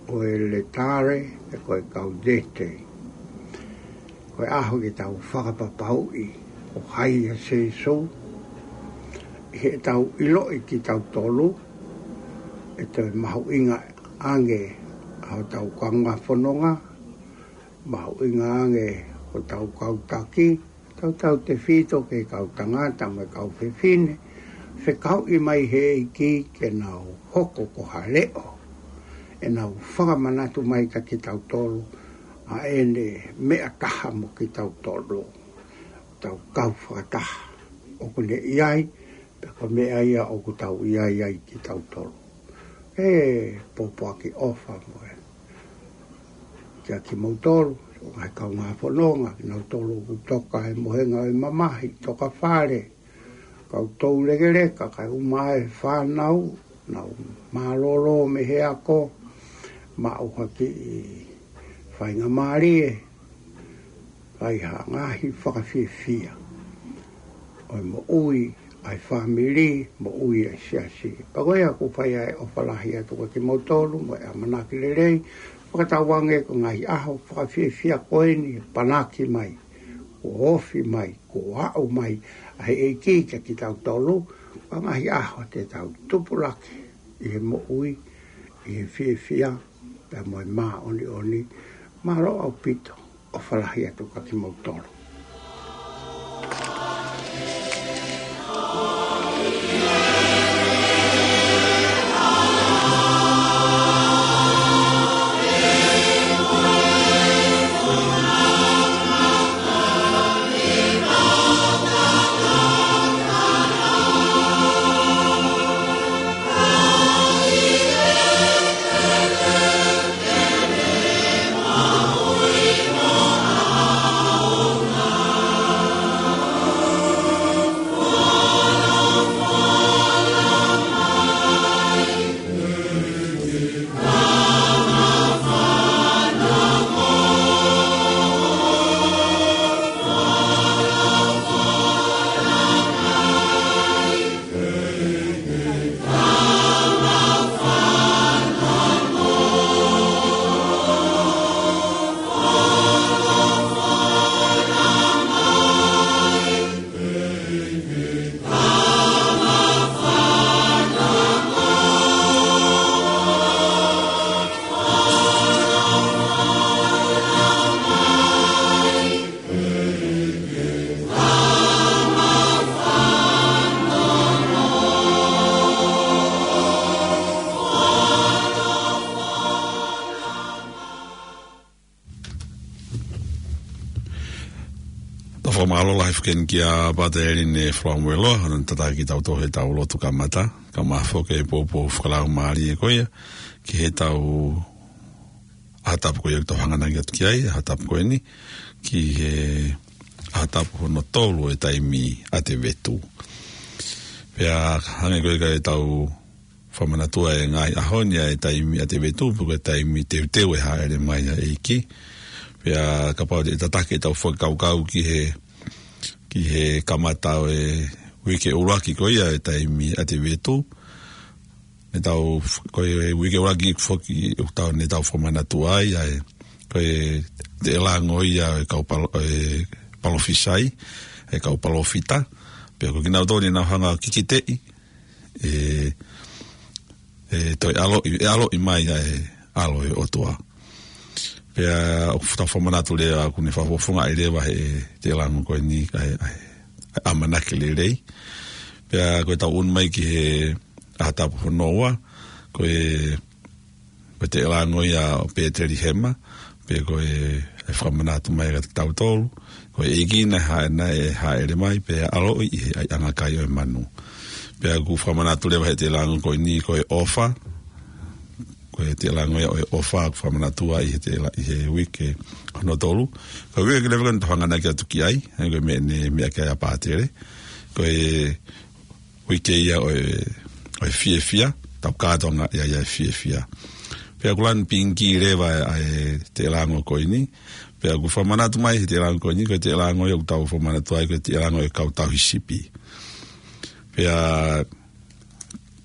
ʻo e Lētare, pe ko e Kaudete. Ko e ʻaho ke tau fakapapauʻi ko hai ʻa Sīsū, ʻi heʻetau ʻiloʻi kitautolu, ʻe toe mahuʻinga ange ʻa hotau kaungā fononga, mahuʻinga ange hotau kau taki, tautautefito ki he kau tangata mo e kau fefine, fekauʻi mai he ʻEiki ke nau hoko ko ha leʻo, ʻenau fakamanatu mai kiate kitautolu ʻa ʻene meʻa taha mo kitautolu, tau kau fakataha ʻoku ne ʻi ai, pea ko e meʻa ia ʻoku tau ʻi ai ai kitautolu. ʻE pōpoaki ʻofa mo e kiate kimoutolu, Ko e kaungā fononga, kinautolu ʻoku toka he mohenga ʻo e mamahi, toka fale, kau toulekeleka, kae ʻumaʻā e fānau, nau mālōlō mei he ako, maʻu ha kiʻi faingamālie, fai ha ngaahi fakafiefia ʻo e moʻui ʻa e fāmili, moʻui ʻa e siasi. Pea ko ia ʻoku ou fai ai ʻofa lahi atu kiate kimoutolu, mo e ʻamanaki lelei, fakatauange ko e ngaahi ʻaho fakafiefia ko eni, panaki mai, kuo ofi mai, kuo aʻu mai ʻa e ʻEiki kiate kitautolu, ko e ngaahi ʻaho te tau tupulaki ʻi he moʻui, ʻi he fiefia, pea mo e māʻoniʻoni. Mālō ʻaupito, ʻofa lahi atu kiate kimoutolu. Tau fakamālō lahi foki eni kia Pātele Line Falamueloa, ʻoku ne tataki kitautolu heʻetau lotu kamata, kae ʻumaʻā foki e poupou fakalaumālie ko ia, ki heʻetau ʻaho tapu ko ia ʻoku tau hanganaki atu ki ai, ʻaho tapu ko eni, ki he ʻaho tapu hono tolu ʻo e taimi ʻa e vetu. Pea hangē ko ia ʻoku tau fakamanatua e ngaahi ʻaho ni ʻa e taimi ʻa e vetu, pe ko e taimi teuteu e hāʻele mai ʻa e ʻEiki. Pea kapau te tau tataki ʻetau fakakaukau ki he, ki he kamata ʻo e uike ʻuluaki ko ia ʻo e taimi ʻa e vetu. Ne tau, ko e uike ʻuluaki foki ʻoku tau, ne tau fakamanatua ai ʻa e, ko e teʻelango ia ʻo e kau palo-, e palōfisai, e kau palōfita. Pea ko kinautolu ne nau hanga ʻo kikiteʻi e, e toe ʻaloʻi, e ʻaloʻi mai ʻa e ʻAlo ʻo e ʻOtua. Pea ʻoku tau fakamanatu leva, ʻoku ne fakafofongaʻi leva he teʻelango ko eni ʻa e, ʻa e, ʻa e ʻamanaki lelei. Pea ko ʻetau ʻunu mai ki he ʻaho tapu hono ua, ko e, ko e teʻelango ia ʻo Petelihema, pe ko e, e fakamanatu mai kiate kitautolu, ko e ʻEiki naʻe hā-, naʻe hāʻele mai, pea ʻaloʻi ʻi he ʻaiʻanga kai ʻo e manu. Pea ʻoku fakamanatu leva he teʻelango ko eni, ko e ʻofa, ko e teʻelango ia ʻo e ʻofa, ʻoku fakamanatua ʻi he teʻela-, ʻi he uike hono tolu. Ko e uike leva ko eni ʻoku tau hanganaki atu ki ai, ʻa ia ko e meʻa ne meʻa ki ai ʻa Pātele. Ko e uike ia ʻo e, ʻo e fiefia, tau kātoanga ia ʻi he fiefia. Pea ʻoku lanu pinki leva ʻa e teʻelango ko eni, pea ʻoku fakamanatu mai he teʻelango ko eni, ko e teʻelango ia ʻoku tau fakamanatu ai, ko e teʻelango ʻo e kau tauhi sipi. Pea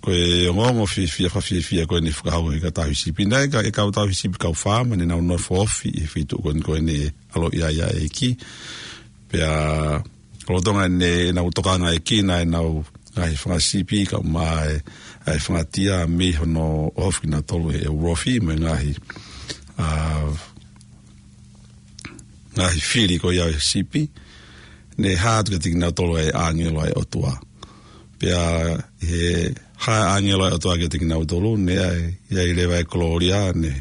ko e ongoongo fiefia, fakafiefia ko eni fakahoko ʻe he kau tauhi sipi. Naʻe ʻikai ko e kau tauhi sipi kau faama, ne nau nofo ofi ʻi he feituʻu ko eni ko eni ʻaloʻi ai ʻa e ʻEiki. Pea lolotonga ʻenau tokanga ʻEiki, naʻe ʻi ai ʻenau ngaahi fanga sipi, kae ʻumaʻā e, e fanga tia mei hono ʻohofi kinautolu ʻe he ulofi, mo e ngaahi, ʻa, ngaahi fili ko ia ʻo e sipi, ne hā atu kiate kinautolu ʻa e ʻāngelo ʻa e ʻOtua. Pea ʻi he hā ʻa e ʻāngelo ʻa e ʻOtua kiate kinautolu, ne ʻi ai, ʻi ai leva e kolōlia, ne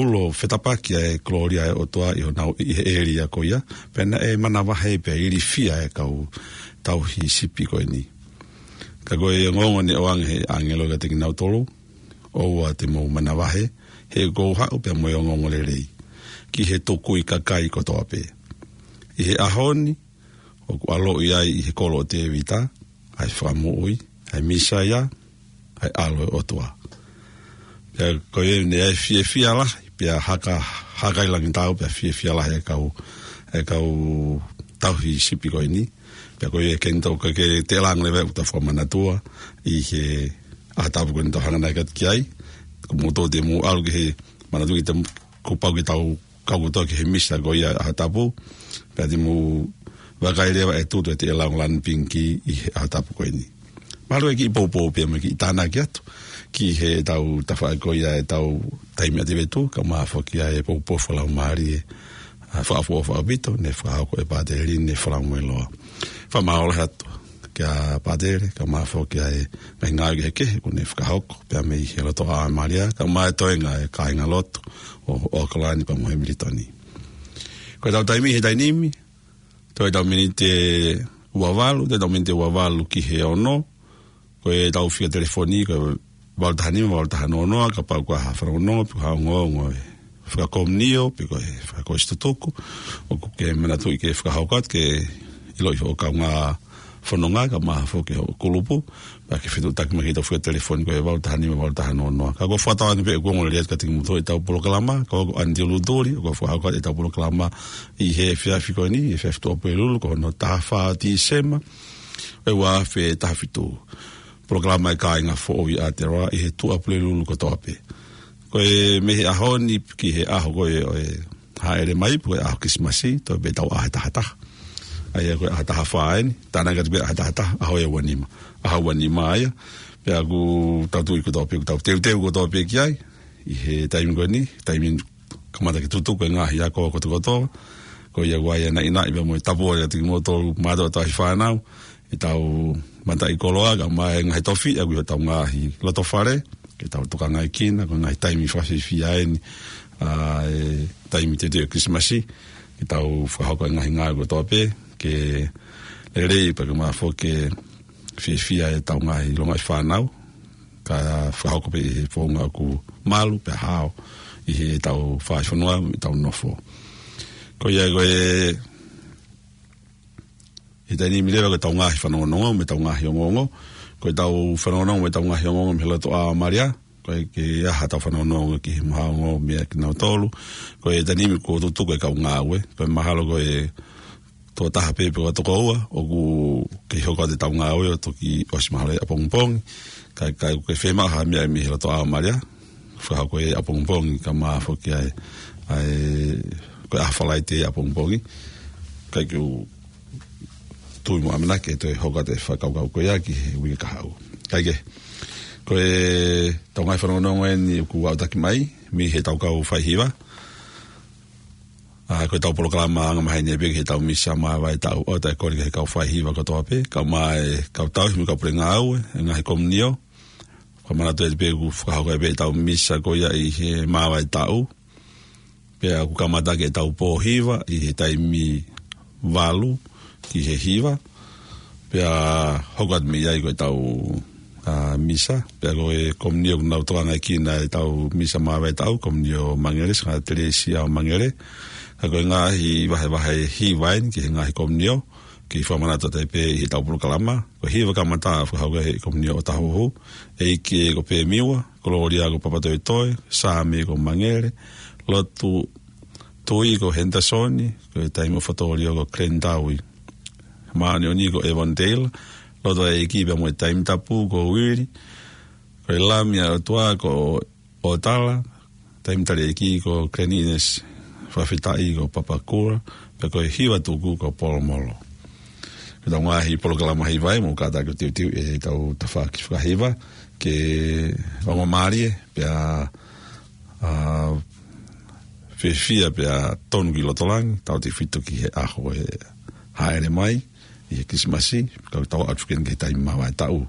ulo fetapaki ʻa e kolōlia ʻa e ʻOtua ʻi honau, ʻi he ʻēlia ko ia, pea naʻe manavahē pea ilifia e kau tauhi sipi ko eni. Ka ko e ongoongo ne ʻoange ʻe he ʻāngelo kiate kinautolu, ʻoua te mou manavahē, he ʻoku ou haʻu pea mo e ongoongolelei. ki he tukui kakai kotoa pē. ʻI he ʻaho ni, ʻoku ʻaloʻi ai ʻi he kolo ʻo Tēvita, ʻa e Fakamoʻui, ʻa e Mīsaia, ʻa e ʻAlo ʻo e ʻOtua. Pea ko ia ne ʻi ai e fiefia lahi, pea haka, haka ʻi langi tau, pea fiefia lahi e kau, e kau tauhi sipi ko eni. Pea ko ia ke nitau ka ke te lango leva ʻoku ta fakamanatua, ʻi he ʻaho tapu ko eni tau hanga nai kat ki ai. Ko mou tō te mou ʻalu ki he manatu ki te kuo pau ke tau kau kotoa ki he misa ko ia ʻaho tapu. Pea te mou vakai leva e tutu ʻe te lango lanu pinki ʻi he ʻaho tapu ko eni. Mālō e kiʻi poupou pea mo e kiʻi tānaki atu ki he tau tafaʻaki ko ia e tau taimi ʻa te vetu, ka ma foki ai e poupou fakalaumālie, ʻa, fakaʻofoʻofa ʻaupito, ne fakahoko ʻe Pāteli ne falamueloa. Fakamālō atu kia Pāteli, ka ma foki ai e ngaahi ngāue kehekehe, kuo ne fakahoko, pea mei he loto ʻa Malia, ka ma e toenga e kāinga lotu, ʻo, ʻo Okalani pea mo Hemilitoni. Ko e tau taimi he taimi ni, toe tau miniti ua valu, toe tau miniti ua valu ki he ono, ko e tau fika telefoni, ko e valu taha nima, valu taha noa noa, kapau ko ha fanongonongo, pe ko ha ongoongo e fakakomunio, pe ko e fakakosi tutuku, ʻoku ke manatuʻi ke fakahoko atu, ke ʻiloʻi hoʻo kaungā fononga, ka ma foki hoʻo kulupu, pea ke fetuʻutaki mai ki he tau fika telefoni ko e valu taha nima, valu taha noa noa. Ka ko e fakatauange pē ʻoku ongo lelei atu kiate kimoutolu e tau polokalama, ka ko Anti Lutuli, ʻoku fakahoko atu e tau polokalama ʻi he efiafi ko eni, efiafi Tuʻapulelulu, ko hono taha fā Tīsema, ʻe ua afe taha fitu. Polokalama e kāinga foʻou ʻi Aotearoa, ʻi he Tuʻapulelulu kotoa pē. Ko e mei he ʻaho ni ki he ʻaho ko e, ʻo e hāʻele mai, pe ko e ʻaho Kilisimasi, toe pē tau ʻaho ʻe taha taha. ʻA ia ko e ʻaho taha fā eni, tānaki atu pē ʻaho ʻe taha taha, ʻaho ʻe ua nima. ʻAho ua nima ia, pea ʻoku tau tui kotoa pē, ʻoku tau teuteu kotoa pē ki ai, ʻi he taimi ko eni, taimi kamata ke tutuku e ngaahi ako kotokotoa, ko ia ʻoku ʻi ai e naʻinaʻi pea mo e tapu ʻoku ʻoatu kiate kimoutolu mātuʻa tauhi fānau, ʻi he tau mataʻikoloa, ka ma e ngaahi tofiʻa, ʻoku ʻi ai hotau ngaahi lotofale, ke tau tokangaʻi kina, ko e ngaahi taimi fakafiefia eni, ʻa e taimi teuteu ʻo e Kilisimasi, ke tau fakahoko e ngaahi ngāue kotoa pē, ke lelei pea ke ma foki ke fiefia e tau ngaahi longaʻi fānau, ka fakahoko pē ʻi he founga ʻoku malu pea hao ʻi he tau fai fonua, ʻi he tau nofo. Ko ia ko e, ʻi he taimi ni leva ko e tau ngaahi fanongonongo, mo e tau ngaahi ongoongo. Ko e tau fanongonongo, mo e tau ngaahi ongoongo, mei he loto ʻa Malia. Ko e ke aha tau fanongonongo ki he maha ongo meia kinautolu. Ko e taimi ni kuo tutuku e kau ngāue. Ko e mahalo ko e toko taha pē pe ko e toko ua, ʻoku kei hoko atu e tau ngāue ʻo toki ʻosi mahalo ʻapongipongi. Ka, ka ʻoku ke fiemaʻu ha meʻa mei he loto ʻa Malia, fakahoko ʻapongipongi ka ma foki ai, ʻa e, ko e ʻaho Falaite ʻapongipongi. Ka ʻoku ou tui mo ʻamanaki ʻe toe hoko atu e fakakaukau ko ia ki he uike kahaʻu. Kae kehe, ko e tau ngaahi fanongonongo eni ʻoku aʻutaki mai, mei he tau kau faihiva. ʻA, ko e tau polokalama anga maheni pē ki he tau misa māvae taʻu, ʻoatu e kole ki he kau faihiva kotoa pē, ka ma e kau tauhi mo e kau pule ngāue, e ngaahi komunio. Fakamanatu atu pē ʻoku fakahoko pē e tau misa ko ia ʻi he māvae taʻu. Pea ʻoku kamata ʻaki e tau pōhiva ʻi he taimi valu ki he hiva. Pea hoko atu mei ai ko e tau, ʻa, misa. Pea ko e komunio ʻoku nau tokangaʻi kina e tau misa māvae taʻu, komunio Mangere, Sangata Telesia ʻo Mangere. Ka ko e ngaahi vahevahe hiva eni ki he ngaahi komunio, ke fakamanatu atu pē ʻi he tau polokalama. Ko e hiva kamata fakahoko ʻe he komunio ʻo Tahuhu, ʻEiki ko Pemiua, Kolōlia ko Papatoetoe, Sāme ko Mangere, Lotu Tui ko Henderson, ko e taimi ʻo Fatorio ko Glenn Taui. Māʻoniʻoni ko Evan Taylor, Lotu ʻa e ʻEiki pea mo e Taimi Tapu ko Uili, ko e Lami ʻa e ʻOtua ko ʻOtala, Taimi Tali ʻEiki ko Glenn Innes, Fakafetaʻi ko Papakura, pea ko e Hiva Tuku ko Polomolo. Ko e tau ngaahi polokalama hiva ē, mou kātaki ʻo teuteu e tau tafaʻaki fakahiva, ke ongo mālie, pea, ʻa, fiefia pea tonu ki loto langi, tautautefito ki he ʻaho ʻe hāʻele mai, ʻi he Kilisimasi, ka tau ʻatu ki he taimi māvae taʻu.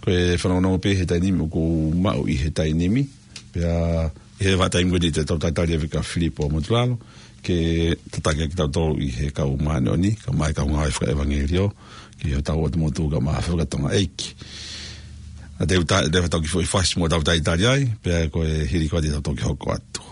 Ko e fanongonongo pē he taimi ni ʻoku maʻu ʻi he taimi ni, pea ʻi he vahaʻa taimi ko eni te tau talitali ʻa Fika Filipo Motulalo, ke tataki ʻaki kitautolu ʻi he kau māʻoniʻoni, ka ma e kau ngāue fakaʻevangeliō, ki he tau ʻotu motu ka ma fakatonga ʻeiki. ʻA te uta, te tau kiʻi foʻi fasi mo tau talitali ai, pea ko e hili ko ē te tau toki hoko atu.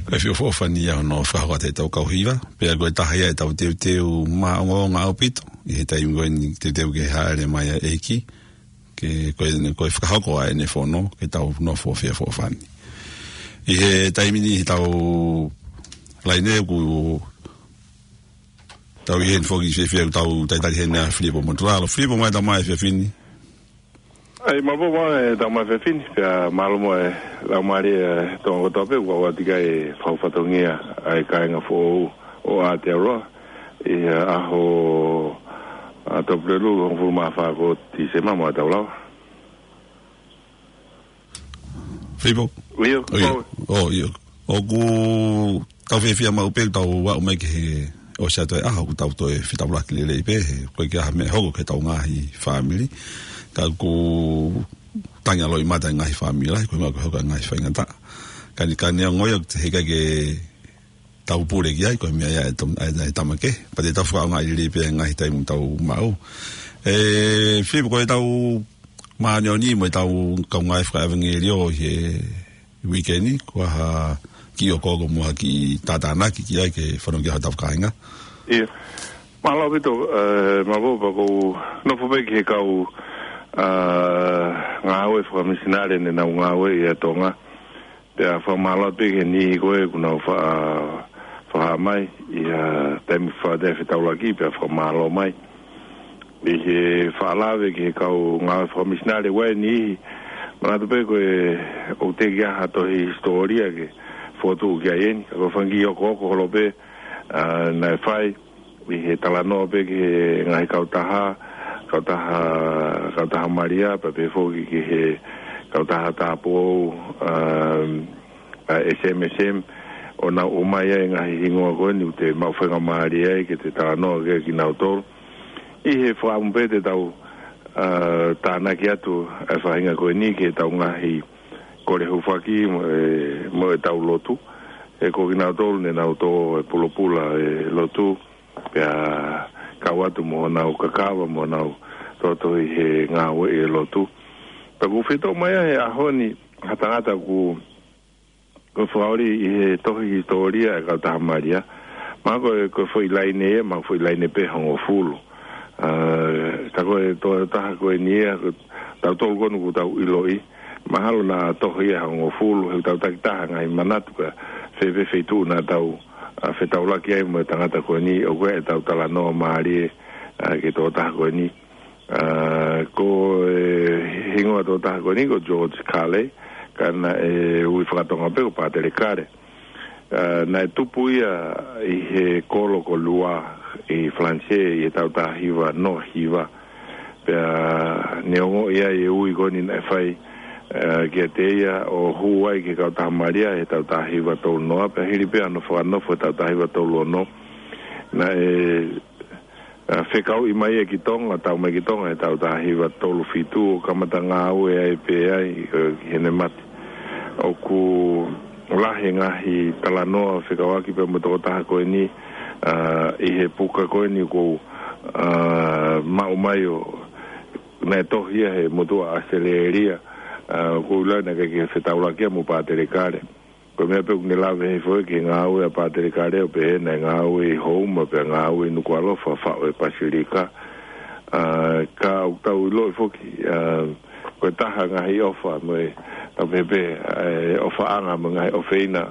Ko e feʻofoʻofani ia hono fakahoko atu ʻetau kau hiva, pea ko e taha ia ʻetau teuteu maʻongoʻonga ʻaupito, ʻi he taimi ko eni teuteu ke hāʻele mai ʻa e ʻEiki, ke ko e, ko e fakahoko ʻa ʻene fono, ke tau nofo feʻofoʻofani. ʻI he taimi ni, ʻi heʻetau laine, ʻoku tau ʻi heni foki, fiefia ʻoku tau talitali heni ʻa Filipo Motulalo. Filipo, mālō e tau mai efiafi ni. ʻAi, mālō mo e tau mai efiafi ni, pea mālō mo e laumālie ʻa e Tonga kotoa pē, ʻoku ʻoatu ʻa e fakafatongia ʻa e kāinga foʻou ʻo Aotearoa, ʻi he ʻaho, ʻa, Tuʻapulelulu, hongofulu mā fā ko Tīsema, mo e tau lava. Filipo? ʻIo, ʻio. ʻOku tau fiefia maʻu pē ʻoku tau aʻu mai ki he ʻosi atu e ʻaho, ʻoku tau toe fetaulaki lelei pē, he ʻoku ʻikai ke ʻi ai ha meʻa ʻe hoko ki heʻetau ngaahi fāmili. Ka ʻoku tangi ʻa loʻimata e ngaahi fāmili lahi, ko e meʻa ko e hoko e ngaahi faingataʻa. Ka ne, ka neongo ia, he ʻikai ke tau pule ki ai, ko e meʻa ia ʻa e to-, ʻa e, ʻa e tama kehe. Pea te tau fakaʻaongaʻi lelei pē e ngaahi taimi ʻoku tau maʻu. ʻE, Filipo, ko ʻetau māʻoniʻoni mo ʻetau kaungā fakaʻevangeliō ʻi he uike ni, ko e hā ha kiʻi okooko mo ha kiʻi tātānaki ki ai ke fanongo ki ai hotau kāinga? ʻIo. Mālō ʻaupito, ʻe, mālō pea ʻoku ou nofo pē ki he kau, ʻa, ngāue fakamisinale ne nau ngāue ʻi Tonga. Pea fakamālō pē ki he niʻihi ko ē kuo nau fa-, fakahā mai ʻi he taimi fakaʻatā fetaulaki, pea fakamālō mai. ʻI he fakalave ki he kau ngāue fakamisinale, ʻoku ʻi ai e niʻihi manatu pē ko e ʻoku teʻeki ai ha tohi hisitōlia ke fokotuʻu ki ai eni, ka ko e fanga kiʻi okooko holo pē, ʻa, naʻe fai, ʻi he talanoa pē ki he ngaahi kautaha, kautaha, kautaha Malia, pea pehē foki ki he kautaha tāupoʻou, um, ʻa e S M S M, ʻo nau ʻomai ai e ngaahi hingoa ko eni ʻoku te maʻu faingamālie ai ke te talanoa ki ai kinautolu. ʻI he fakaʻamu pē te tau, ʻa, tānaki atu e faʻahinga ko eni ki heʻetau ngaahi kole hūfaki mo e, mo ʻetau lotu. He ko kinautolu ne nau tō e pulopula e lotu, pea kau atu mo honau kakava, mo honau tohi he ngāue ʻi he lotu. Pea ʻoku fetō mai ʻa e ʻaho ni ha tangata ʻoku, ʻoku fakaoli ʻi he tohi hisitōlia e kautaha Malia. Mahalo ko e, ko e foʻi laine ia, mahalo foʻi laine pē hongofulu. ʻA, ka ko e tokotaha ko eni ia, ko tautolu ko eni ʻoku tau ʻiloʻi. Mahalo naʻa tohi ia hongofulu, he ʻoku tau takitaha ngaahi manatu ka fēfē feituʻu naʻa tau, ʻa, fetaulaki ai mo e tangata ko eni, ʻoku ʻi ai ʻetau talanoa mālie, ʻa, ki he tokotaha ko eni. ʻA, ko e hingoa tokotaha ko eni ko George Kale, ka naʻe ui fakatonga pē ko Pātele Kale. ʻA, naʻe tupu ia ʻi he kolo ko Lua ʻi Falanisē ʻi he taʻu taha hiva noa hiva. Pea neongo ia e ui ko eni naʻe fai, ʻa, kiate ia ʻo hū ai ki he kautaha Malia he taʻu taha hiva tolu noa, pea hili pē hono fakanofo he taʻu taha hiva tolu ono. Naʻe, ʻa, fekauʻi mai ia ki Tonga, tau mai ki Tonga he taʻu taha hiva tolu fitu ʻo kamata ngāue ai pē ai, ʻe, ki heʻene mate. ʻOku lahi e ngaahi talanoa fekauʻaki pea mo e tokotaha ko eni, ʻa, ʻi he puka ko eni ʻoku, ʻa, maʻu mai ʻo naʻe tohi ia he motuʻa ʻAositelēlia, ʻa, ʻoku ou ʻilo naʻe ʻikai ke fetaulaki ia mo Pātele Kale. Ko e meʻa pē ʻoku ne lave hifo ki he ngāue ʻa Pātele Kale ʻo pehē naʻe ngāue ʻi Houma pea ngāue ʻi Nukuʻalofa faʻu e Pasilika. ʻA, ka ʻoku tau ʻiloʻi foki, ʻa, ko e taha ngaahi ʻofa mo e, tau pehē pē, ʻa, e ʻofaʻanga mo e ngaahi ʻofeina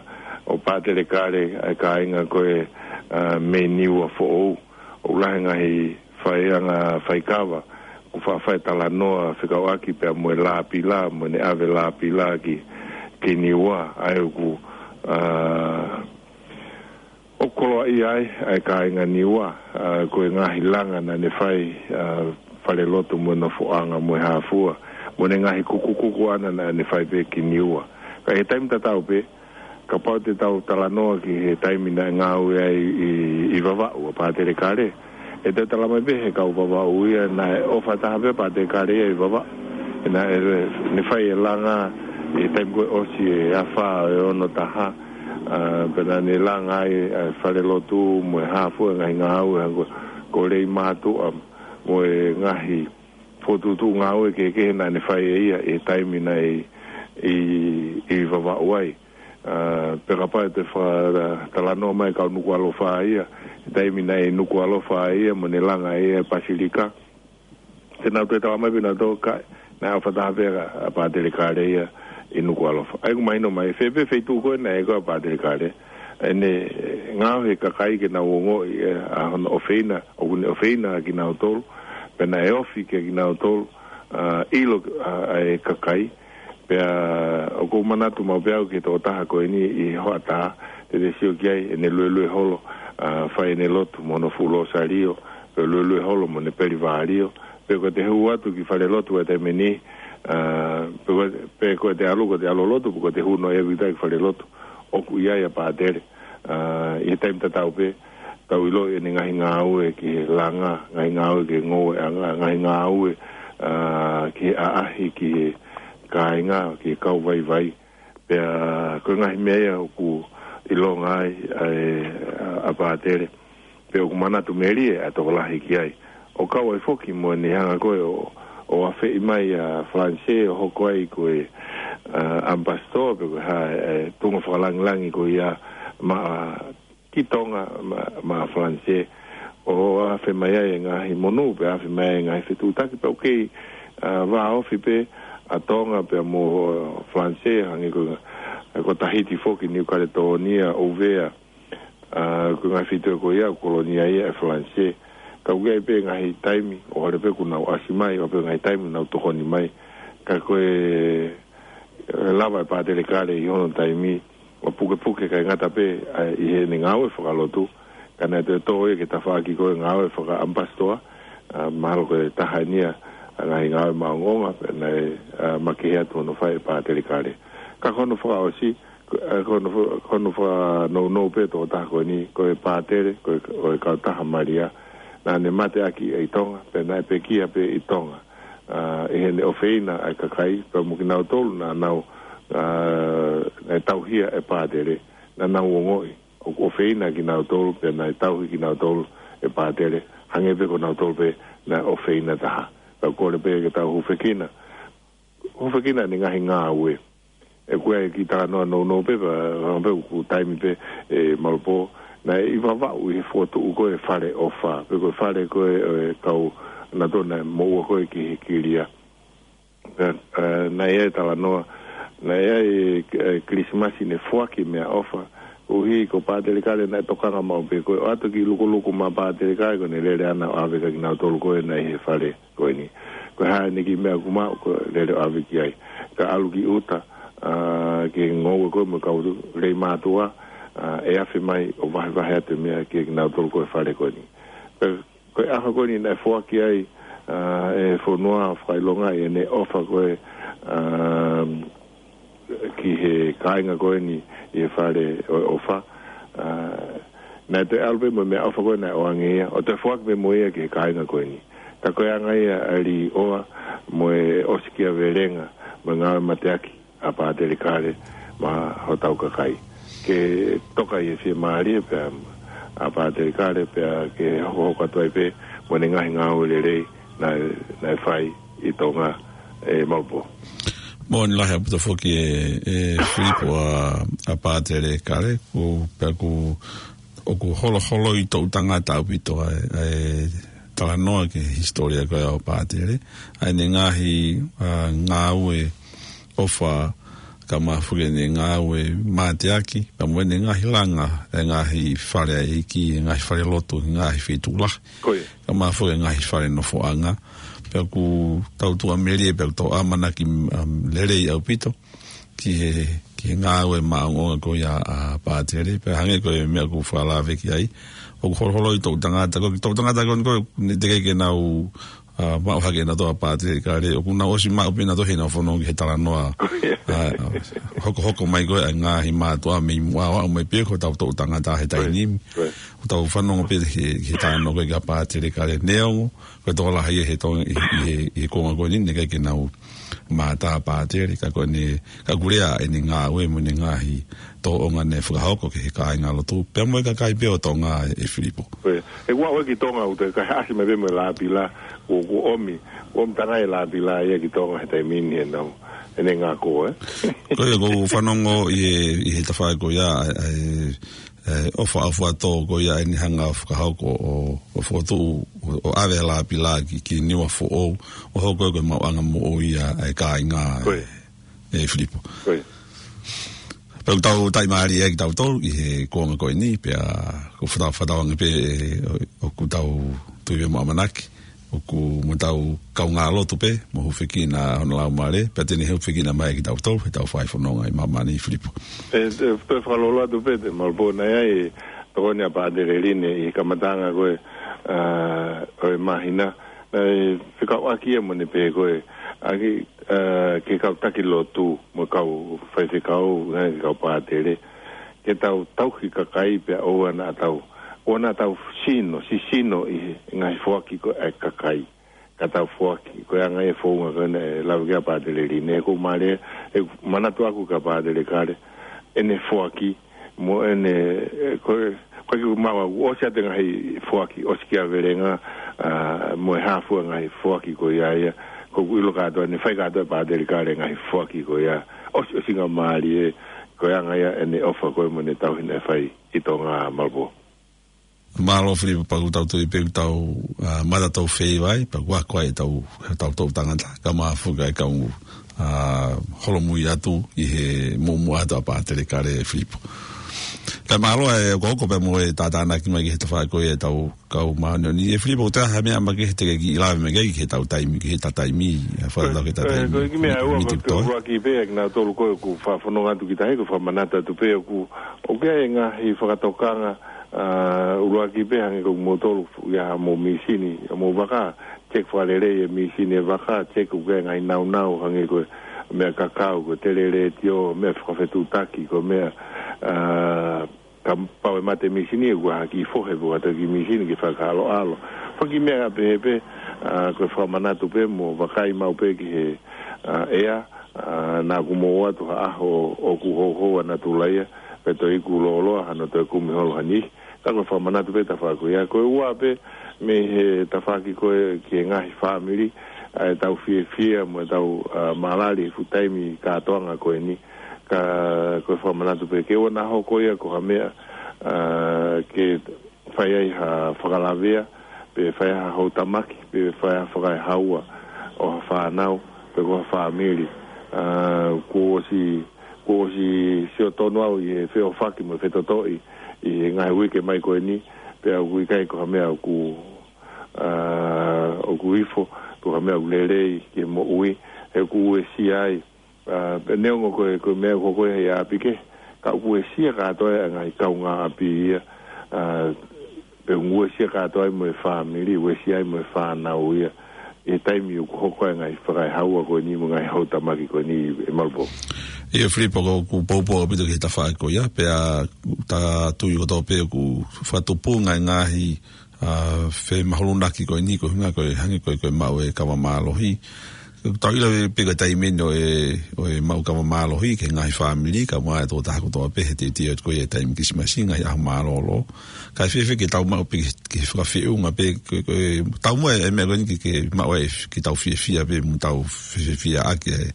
ʻo Pātele Kale, ʻa e kāinga ko ē, ʻa, mei Niua foʻou. ʻOku lahi e ngaahi faiʻanga faikava ʻoku faʻa fai talanoa fekauʻaki pea mo e Lāpila, mo ʻene ʻave Lāpila ki, ki Niua, ʻa ia ʻoku, ʻa, ʻoku koloaʻia ai ʻa e kāinga Niua, ʻa, ko e ngaahi langa naʻa ne fai, ʻa, falelotu mo e nofoʻanga mo e hā fua, mo ʻene ngaahi kukukuku ʻana naʻa ne fai pē ki Niua. Ka ʻi he taimi tatau pē, kapau te tau talanoa ki he taimi naʻe ngāue ai ʻi, ʻi Vavaʻu ʻa Pātele Kale, ʻe tau tala mai pē he kau Vavaʻu ia naʻe ʻofa taha pē ʻa Pātele Kale ia ʻi Vavaʻu. Naʻe, ne fai e langa ʻi he taimi ko ē ʻosi e afā ʻo e ono taha, ʻa, pea naʻa ne langa ai, ʻa, falelotu mo e hā fua e ngaahi ngāue, ʻa, ko, ko e lei mātuʻa mo e ngaahi fokotuʻutuʻu ngāue kehekehe naʻa ne fai ʻe ia ʻi he taimi naʻe ʻi, ʻi, ʻi Vavaʻu ai. ʻA, pea kapau te fa-, talanoa mai kau Nukuʻalofa ia, taimi naʻe Nukuʻalofa ia, mo ne langa ia Pasilika. Te nau toe tala mai pē nautolu ka, naʻe ʻofa taha pē ʻa Pātele Kale ia ʻi Nukuʻalofa. ʻA ia ʻoku mahino mai, fē pē feituʻu ko ē naʻe ʻi ai ko ē ʻa Pātele Kale. ʻEne, ʻe, ngaohi e kakai ke nau ongoʻi, ʻe, ʻa hono ʻofeina, ʻoku ne ʻofeina kinautolu, pea naʻe ofi kia kinautolu, ʻa, ʻilo, ʻa, ʻa e kakai. Pea ʻoku ou manatu maʻu pē au ki he tokotaha ko eni ʻi he hoʻatā, te te sio ki ai, ʻene luelue holo, ʻa, fai ʻene lotu mo hono fuʻu lōsalio, pe luelue holo mo ʻene peli valio, pe ko ʻete hū atu ki falelotu ʻi he taimi ni, ʻa, pe ko, pe ko ʻete ʻalu, ko ʻete ʻalu lotu, pe ko ʻete hū noa ia vita ki falelotu, ʻoku ʻi ai ʻa Pātele, ʻa, ʻi he taimi tatau pē, tau ʻilo ʻene ngaahi ngāue ki he langa, ngaahi ngāue ki he ngoueʻanga, ngaahi ngāue, ʻa, ki he ʻaʻahi, ki he kāinga, ki he kau vaivai. Pea ko e ngaahi meʻa ia ʻoku ʻilonga ai, ʻa e, ʻa, ʻa Pātele. Pea ʻoku manatu melie ʻa e tokolahi ki ai. ʻO kau ai foki mo ʻene hanga ko ē ʻo, ʻo afeʻi mai ʻa Falanisē ʻo hoko ai ko e, ʻa, ʻamipasitoa pe ko e hā e, e tuʻunga fakalangilangi ko ia maʻa ki Tonga maʻa, maʻa Falanisē. ʻO afe mai ai e ngaahi monū, pea afe mai ai e ngaahi fetuʻutaki, pea ʻoku kei, ʻa, vāofi pē ʻa Tonga pea mo, ʻa, Falanisē, hangē ko, ko Tahiti foki, Niu Kaletōnia, ʻUvea, ʻa, ko e ngaahi feituʻu ko ia, kolonia ia ʻe Falanisē. Ka ʻoku ʻi ai pē ngaahi taimi, ʻo hale pē kuo nau ʻasi mai, ʻo pē ngaahi taimi nau tokoni mai. Ka ko e, ʻe lava ʻe Pātele Kale ʻi hono taimi, ʻo pukepuke kae ngata pē, ʻa, ʻi heʻene ngāue fakalotu, ka naʻe toe tō ia ki he tafaʻaki ko e ngāue fakaʻamipasitoa, ʻa, mahalo ko e taha eni ia ʻa e ngaahi ngāue maʻongoʻonga, pea naʻe, ʻa, makehe atu hono fai ʻe Pātele Kale. Ka ko hono fakaʻosi, ko, ʻa, ko hono fa-, ko hono fakanounou pē tokotaha ko eni, ko e Pātele, ko e, ko e kautaha Malia, naʻa ne mateaki ʻi Tonga, pea naʻe pekia pē ʻi Tonga. ʻA, ʻi heʻene ʻofeina ʻa e kakai, pea mo kinautolu naʻa nau, ʻa, naʻe tauhi ʻe Pātele, naʻa nau ongoʻi ʻoku ʻofeina kinautolu, pea naʻe tauhi kinautolu ʻe Pātele, hangē pē ko nautolu pē naʻe ʻofeina taha. Pea kole pē ke tau hūfekina, hūfekina ʻene ngaahi ngāue. ʻOku ʻi ai e kiʻi talanoa nounou pē, pea, pea ʻoku taimi pē, ʻe Malopō, naʻe ʻi Vavaʻu ʻi he fokotuʻu ko e Fale ʻOfa, pe ko e fale ko e, ʻe, kau nautolu naʻe moʻua ko ē ki he kilia. Pea, ʻe, naʻe ʻi ai e talanoa, naʻe ʻi ai e, ʻe, Kilisimasi ne foaki meʻaʻofa, koeʻuhi ko Pātele Kale naʻe tokanga maʻu pē ko e ʻoatu e kiʻi lukuluku maʻa Pātele Kale, ko ʻene lele ʻana ʻo ʻave kia kinautolu ko ē naʻe ʻi he fale ko eni. Ko e hā ʻene kiʻi meʻa ʻoku maʻu, ko e lele ʻo ʻave ki ai. Ka ʻalu ki ʻuta, ʻa, ki he ngoue ko ē mo e kau lelei mātuʻa, ʻa, ʻe afe mai ʻo vahevahe atu e meʻa kia kinautolu ko ē he fale ko eni. Pea ko e ʻaho ko eni naʻe foaki ai, ʻa, ʻe he fonua fakaʻilonga ʻi heʻene ʻofa ko ē, ʻa, ki he kāinga ko eni ʻi he Fale ʻo, ʻOfa. ʻA, naʻe toe ʻalu pē mo e meʻaʻofa ko ē naʻe ʻoange ia, ʻo toe foaki pē mo ia ki he kāinga ko eni. Ka ko e anga ia ʻa e līʻoa mo e ʻosikiavelenga mo e ngāue mateaki ʻa Pātele Kale maʻa hotau kakai. Ke toka ʻi he fiemālie pē ʻa Pātele Kale pea ke hokohoko atu ai pē mo ʻene ngaahi ngāue lelei naʻe, naʻe fai ʻi Tonga, ʻe Malopō. Moʻoni lahi ʻaupito foki ʻe, ʻe Filipo ʻa, ʻa Pātele Kale, ʻoku, pea ʻoku, ʻoku holoholoi toʻu tangata ʻaupito ʻa e, ʻa e talanoa ki he hisitōlia ko ē ʻo Pātele, ʻa ʻene ngaahi, ʻa, ngāue ʻofa, kae ʻumaʻā foki ʻene ngāue mateaki, pea mo ʻene ngaahi langa, ʻa e ngaahi fale ʻa e ʻEiki, ʻa e ngaahi falelotu, ʻa e ngaahi feituʻu lahi. Ko ia. Kae ʻumaʻā foki ʻa e ngaahi fale nofoʻanga. Pea ʻoku tau tuʻamelie, pea ʻoku tau ʻamanaki, um, lelei ʻaupito ki he, ki he ngāue maʻongoʻonga ko ia ʻa Pātele. Pea hangē ko e meʻa ʻoku fakalave ki ai, ʻoku holoholoi toʻu tangata, ko e toʻu tangata ko eni ko ē, naʻe teʻeki ke nau, ʻa, maʻu hake ʻenautolu ʻa Pātele Kale, ʻoku nau ʻosi maʻu pē ʻenautolu heʻenau fononga ki he talanoa. ʻA, ʻa, hokohoko mai ko ē ʻa e ngaahi mātuʻa mei muʻa ʻo aʻu mai pē ki hotau toʻu tangata he taimi ni. Right. ʻOku tau fanongo pē he, he talanoa ko ē kia Pātele Kale, neongo ko e tokolahi ia he Tonga ʻi, ʻi he, ʻi he konga ko eni, naʻe ʻikai ke nau mātā Pātele, ka ko ʻene, ka ʻoku lea ʻene ngāue mo ʻene ngaahi tōʻonga naʻe fakahoko ki he kāingalotu, pea mo e kakai pē ʻo Tonga, ʻe, ʻe Filipo. Ko ia. ʻOku ou ʻalu ki Tonga, ʻoku teʻeki ai ʻasi mai pē mo e Lapila, ʻoku, ʻoku ʻomi, ʻoku ʻomi tangai e Lapila ia ki Tonga he taimi ni ʻenau, ʻene ngako, ē? Ko ia, ʻoku ou fanongo ʻi he, ʻi he tafaʻaki ko ia, ʻa e, ʻa e, ʻa e ʻofa ʻaufuatō ko ia ʻene hanga ʻo fakahoko ʻo, ʻo fokotuʻu, ʻo, ʻo ʻave ʻa Lapila ki, ki Niua foʻou, ʻo hoko ko e maʻuʻanga moʻui ʻa e kāinga, Ko ia. ʻe Filipo. Ko ia. Pea ʻoku tau taʻimālie ʻa kitautolu ʻi he kuonga ko eni, pea ʻoku fakatau-, fakatauange pē ʻe, ʻo, ʻoku tau tui mo ʻamanaki ʻoku mo tau kaungā lotu pē, mo hūfekina hono laumālie, pea te ne hūfekina mai kitautolu, heʻetau fai fononga ʻi māmani, Filipo. ʻE, ʻe, toe fakalolo atu pē, Te Malopō, naʻe ʻi ai e tokoni ʻa Pātele Line ʻi he kamataʻanga ko ē, ʻa, ʻo e māhina, naʻe fekauʻaki ia mo ʻene pehē ko ē, ʻa ki, ʻa, ki he kau taki lotu, mo e kau faifekau, naʻe ki he kau pātele, ke tau tauhi kakai pea ʻoua naʻa tau, ʻoua naʻa tau sino, sisino ʻi he ngaahi foaki ko ē ʻa e kakai. Ka tau foaki, ko e anga ia e founga ko ē naʻe lave ki ai ʻa Pātele Line, ʻoku ou mālieʻia, ʻeku manatu ʻaku kia Pātele Kale, ʻene foaki, mo ʻene, ʻe, ko e, ko e kiʻi maʻu ʻaku, ʻosi ʻa e ngaahi foaki, ʻosi kia Velenga, ʻa, mo e hā fua e ngaahi foaki ko ia ia, ʻoku ou ʻilo kātoa, naʻe fai kātoa ʻe Pātele Kale e ngaahi foaki ko ia, ʻosi, ʻosingamālie, ko e anga ia ʻene ʻofa ko ē mo ʻene tauhi naʻe fai ʻi Tonga, Malopō. Mālō Filipo, pea ʻoku tau tui pē ʻoku tau, ʻa, mata tau fei vai, pea ʻoku ako ai ʻetau, ʻetau toʻu tangata, kae ʻumaʻā foki e kau, ʻa, holomui atu ʻi he muʻomuʻa atu ʻa Pātele Kale, Filipo. Kae mālō e hokohoko pea mo e tātānaki mai ki he tafaʻaki ko ia ʻetau kau māʻoniʻoni. ʻE Filipo, ʻoku ʻi ai ha meʻa makehe te ke kiʻi lave mai ki ai ki heʻetau taimi, ki heʻeta taimi, ʻa, fakatatau ki heʻeta Ko e, taimi, ko e kiʻi meʻa ʻe ua, miti ko e kuo toe. ʻUluaki pē, ʻa kinautolu ko ē ʻoku fakafononga atu ki tahi, ʻoku ou fakamanatu atu pē ʻoku, ʻoku ʻi ai e ngaahi fakatokanga, ʻa, ʻuluaki pē hangē ko kimoutolu ia mo e mīsini, mo e vaka, check fakalelei e mīsini e vaka, check ʻoku ʻi ai e ngaahi naunau hangē ko e meʻa kakau, ko e telēletiō, meʻa fakafetuʻutaki, ko e meʻa, ʻa, kapau ʻe mate e mīsini, ʻoku ʻi ai ha kiʻi fohe pē ʻoku ʻoatu ki he mīsini ke fakaʻaloʻalo. Foki meʻa pehē pē, ʻa, ko e fakamanatu pē mo vakai maʻu pē ki he, ʻa, ʻea, ʻa, naʻa ku mou ʻoatu ha ʻaho ʻoku houhou ʻa natula ia, pea toe iku lōloa hano toe kumi holo ha niʻihi. Ka ko e fakamanatu pē tafaʻaki ko ia. Ko e ua pē mei he tafaʻaki ko ē ki he ngaahi fāmili, ʻa, ʻetau fiefia mo ʻetau, ʻa, mālali he fuʻu taimi kātoanga ko eni. Ka ko e fakamanatu pē ke ʻoua naʻa hoko ia ko ha meʻa, ʻa, ke fai ai ha fakalavea, pe fai ha houtamaki, pe fai ha fakaehaua ʻo ha fānau, pe ko ha fāmili. ʻA, kuo ʻosi, kuo ʻosi sio tonu au ʻi he feʻofaʻaki mo e fetotoʻi ʻi he ngaahi uike mai ko eni, pea ʻoku ʻikai ko ha meʻa ʻoku, ʻa, ʻoku ifo, ko ha meʻa ʻoku lelei ki he moʻui, he ʻoku uesia ai, ʻa, pea neongo ko e, ko e meʻa ʻoku hoko ia ʻi ʻapi kehe, ka ʻoku uesia kātoa e ngaahi kaungāʻapi ia, ʻa, pea ʻoku uesia kātoa ai mo e fāmili, uesia ai mo e fānau ia, ʻi he taimi ʻoku hoko ai e ngaahi fakaehaua ko eni mo e ngaahi houtamaki ko eni, ʻe Malopō. ʻIo Filipo, ʻoku ou poupou ʻaupito ki he tafaʻaki ko ia, pea ta tui kotoa pē ʻoku fakatupunga e ngaahi ʻa, femahulunaki ko eni, ko e ʻuhinga ko e hangē ko e, ko e maʻu e kava mālohi. Tau ʻilo pē ko e taimi eni ʻo e, ʻo e maʻu kava mālohi ki he ngaahi fāmili, kae ʻumaʻā e tokotaha kotoa pē he teuteu atu ko ia e taimi Kilisimasi, ngaahi ʻaho mālōlō. Kae fēfē ke tau maʻu pē ki he, ki he fakafeʻunga pē, ko e, ko e, tau mo e, e meʻa ko eni ke, ke maʻu e, ke tau fiefia pē, mo tau fie-, fiefia ʻaki e,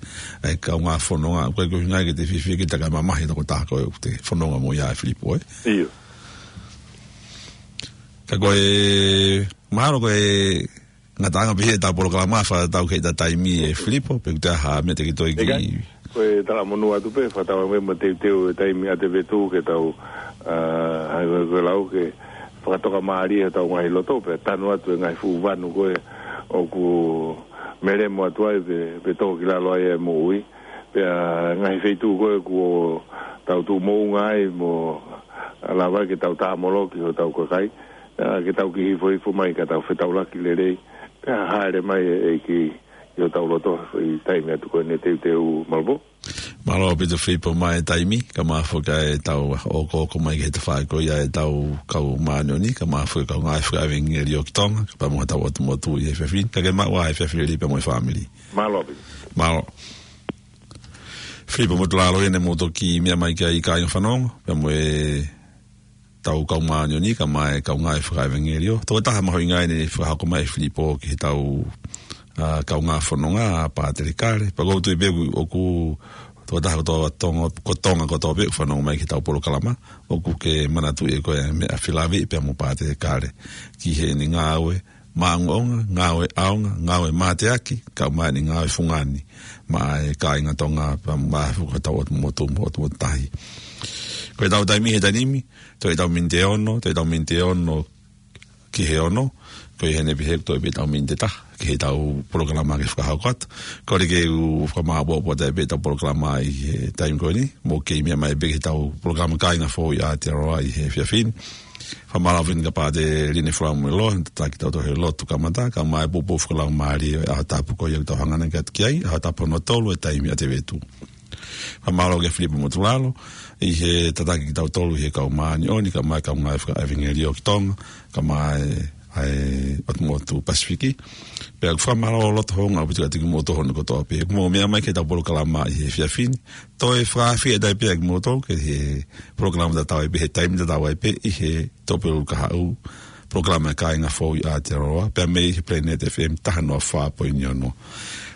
e kaungā fononga, ko e, ko e ʻuhinga ke te fiefia ke te ka mamahi e tokotaha ko ē ʻoku te fononga mo ia, Filipo, ē? ʻIo. Ka ko e, mahalo ko e ngataʻanga pē ia ʻetau polokalama fakatatau ki heʻeta taimi, ʻe Filipo, pe ʻoku ʻi ai ha meʻa te ke toe ki. ʻIkai, ko e talamonū atu pē, fakatauange mo e teuteu e taimi ʻa e vetu ke tau, ʻa, hangē ko e lau ke fakatokamālie hotau ngaahi loto, pea tanu atu e ngaahi fuʻu vanu ko ē ʻoku melemo atu ai pe, pe tō ki lalo ai e moʻui. Pea ngaahi feituʻu ko ē kuo tau tuʻu moʻunga ai mo lava ke tau tāmoloki hotau kakai, ʻa, ke tau kiʻi hifohifo mai ka tau fetaulaki lelei, pea hāʻele mai e, e ki, ki hotau loto ʻi he taimi atu ko eni, teuteu Malopō. Mālō ʻaupito Filipo mo e taimi, kae ʻumaʻā foki ʻetau okooko mai ki he tafaʻaki ko ia ʻetau kau māʻoniʻoni, kae ʻumaʻā foki e kau ngāue fakaʻevangeliō ki Tonga, pea mo hotau ʻotu motu ʻi he efiafi ni, ka ke maʻu ā e efiafi lelei pea mo e fāmili. Mālō ʻaupito. Mālō. Filipo Motulalo ia naʻa mou toki meʻa mai ki ai kāinga fanongo, pea mo e tau kau māʻoniʻoni, kae ʻumaʻā e kau ngāue fakaʻevangeliō. Tokotaha mahuʻinga ia naʻe fakahoko mai ʻe Filipo ki heʻetau, ʻa, kaungā fononga, ʻa Pātele Kale. Pea ʻoku ou tui pē ʻoku, ʻoku tokotaha kotoa Tonga, ko Tonga kotoa pē ʻoku fanongo mai ki heʻetau polokalama, ʻoku ke manatuʻi ʻe koe ʻa e meʻa felaveʻi pea mo Pātele Kale ki heʻene ngāue maʻongoʻonga, ngāue ʻaonga, ngāue mateaki, kae ʻumaʻā ʻene ngāue fungani maʻa e kāinga Tonga pea mo e fuka tau ʻotu motu, ʻotu motu tahi. Ko ʻetau taimi he taimi ni, toe ʻetau miniti ʻe ono, toe ʻetau miniti ʻe ono ki he ono, ko ia heni pē he toe pē ʻetau miniti ʻe taha ki heʻetau polokalama ke fakahoko atu. Kole ke u fakamāʻopoʻopo atu pē ʻetau polokalama ʻi he taimi ko eni, mou kei meʻa mai pē ki heʻetau polokalama Kāinga Foʻou ʻi Aotearoa ʻi he efiafi ni. Fakamālō ʻaupito kia Pātele Line Falamueloa, tataki kitautolu he lotu kamata, kae ʻumaʻā e poupou fakalaumālie ʻo e ʻaho tapu ko ia ʻoku tau hanga ʻanai atu ki ai, ʻaho tapu hono tolu ʻo e taimi ʻa Tēvita. Fakamālō kia Filipe Motulalo, ʻi he tataki kitautolu ʻi he kau māʻoniʻoni, kae ʻumaʻā e kau ngāue fakaʻevangeliō ki Tonga, kae ʻumaʻā e, ʻa e ʻotu motu Pasifiki. Pea ʻoku fakamālō loto houngaʻia ʻaupito kiate kimoutolu hono kotoa pē. ʻOku mou meʻa mai ki heʻetau polokalama ʻi he efiafi ni, toe fakaafeʻi atu pē kimoutolu ki he polokalama tatau ai pē, he taimi tatau ai pē, ʻi he Tuʻapulelulu kahaʻu, polokalama Kāinga Foʻou ʻi Aotearoa, pea mei he Planet F M taha noa fā poini ono.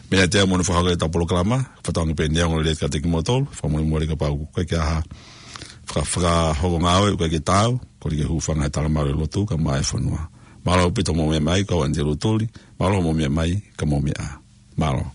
Meʻa atu ʻa e moʻoni fakahoko ʻetau polokalama, fakatauange pē neongo lelei kiate kimoutolu, fakamolemole kapau ʻoku ʻikai ke ʻi ai ha faka-, fakahoko ngāue ʻoku ʻikai ke taau, kole ke hūfanga he talamalu ʻo e lotu kae ʻumaʻā e fonua. Mālō ʻaupito hoʻomou meʻa mai, ko au ʻAnitelū Tuli, mālō hoʻomou meʻa mai, ka mou meʻa ā. Mālō.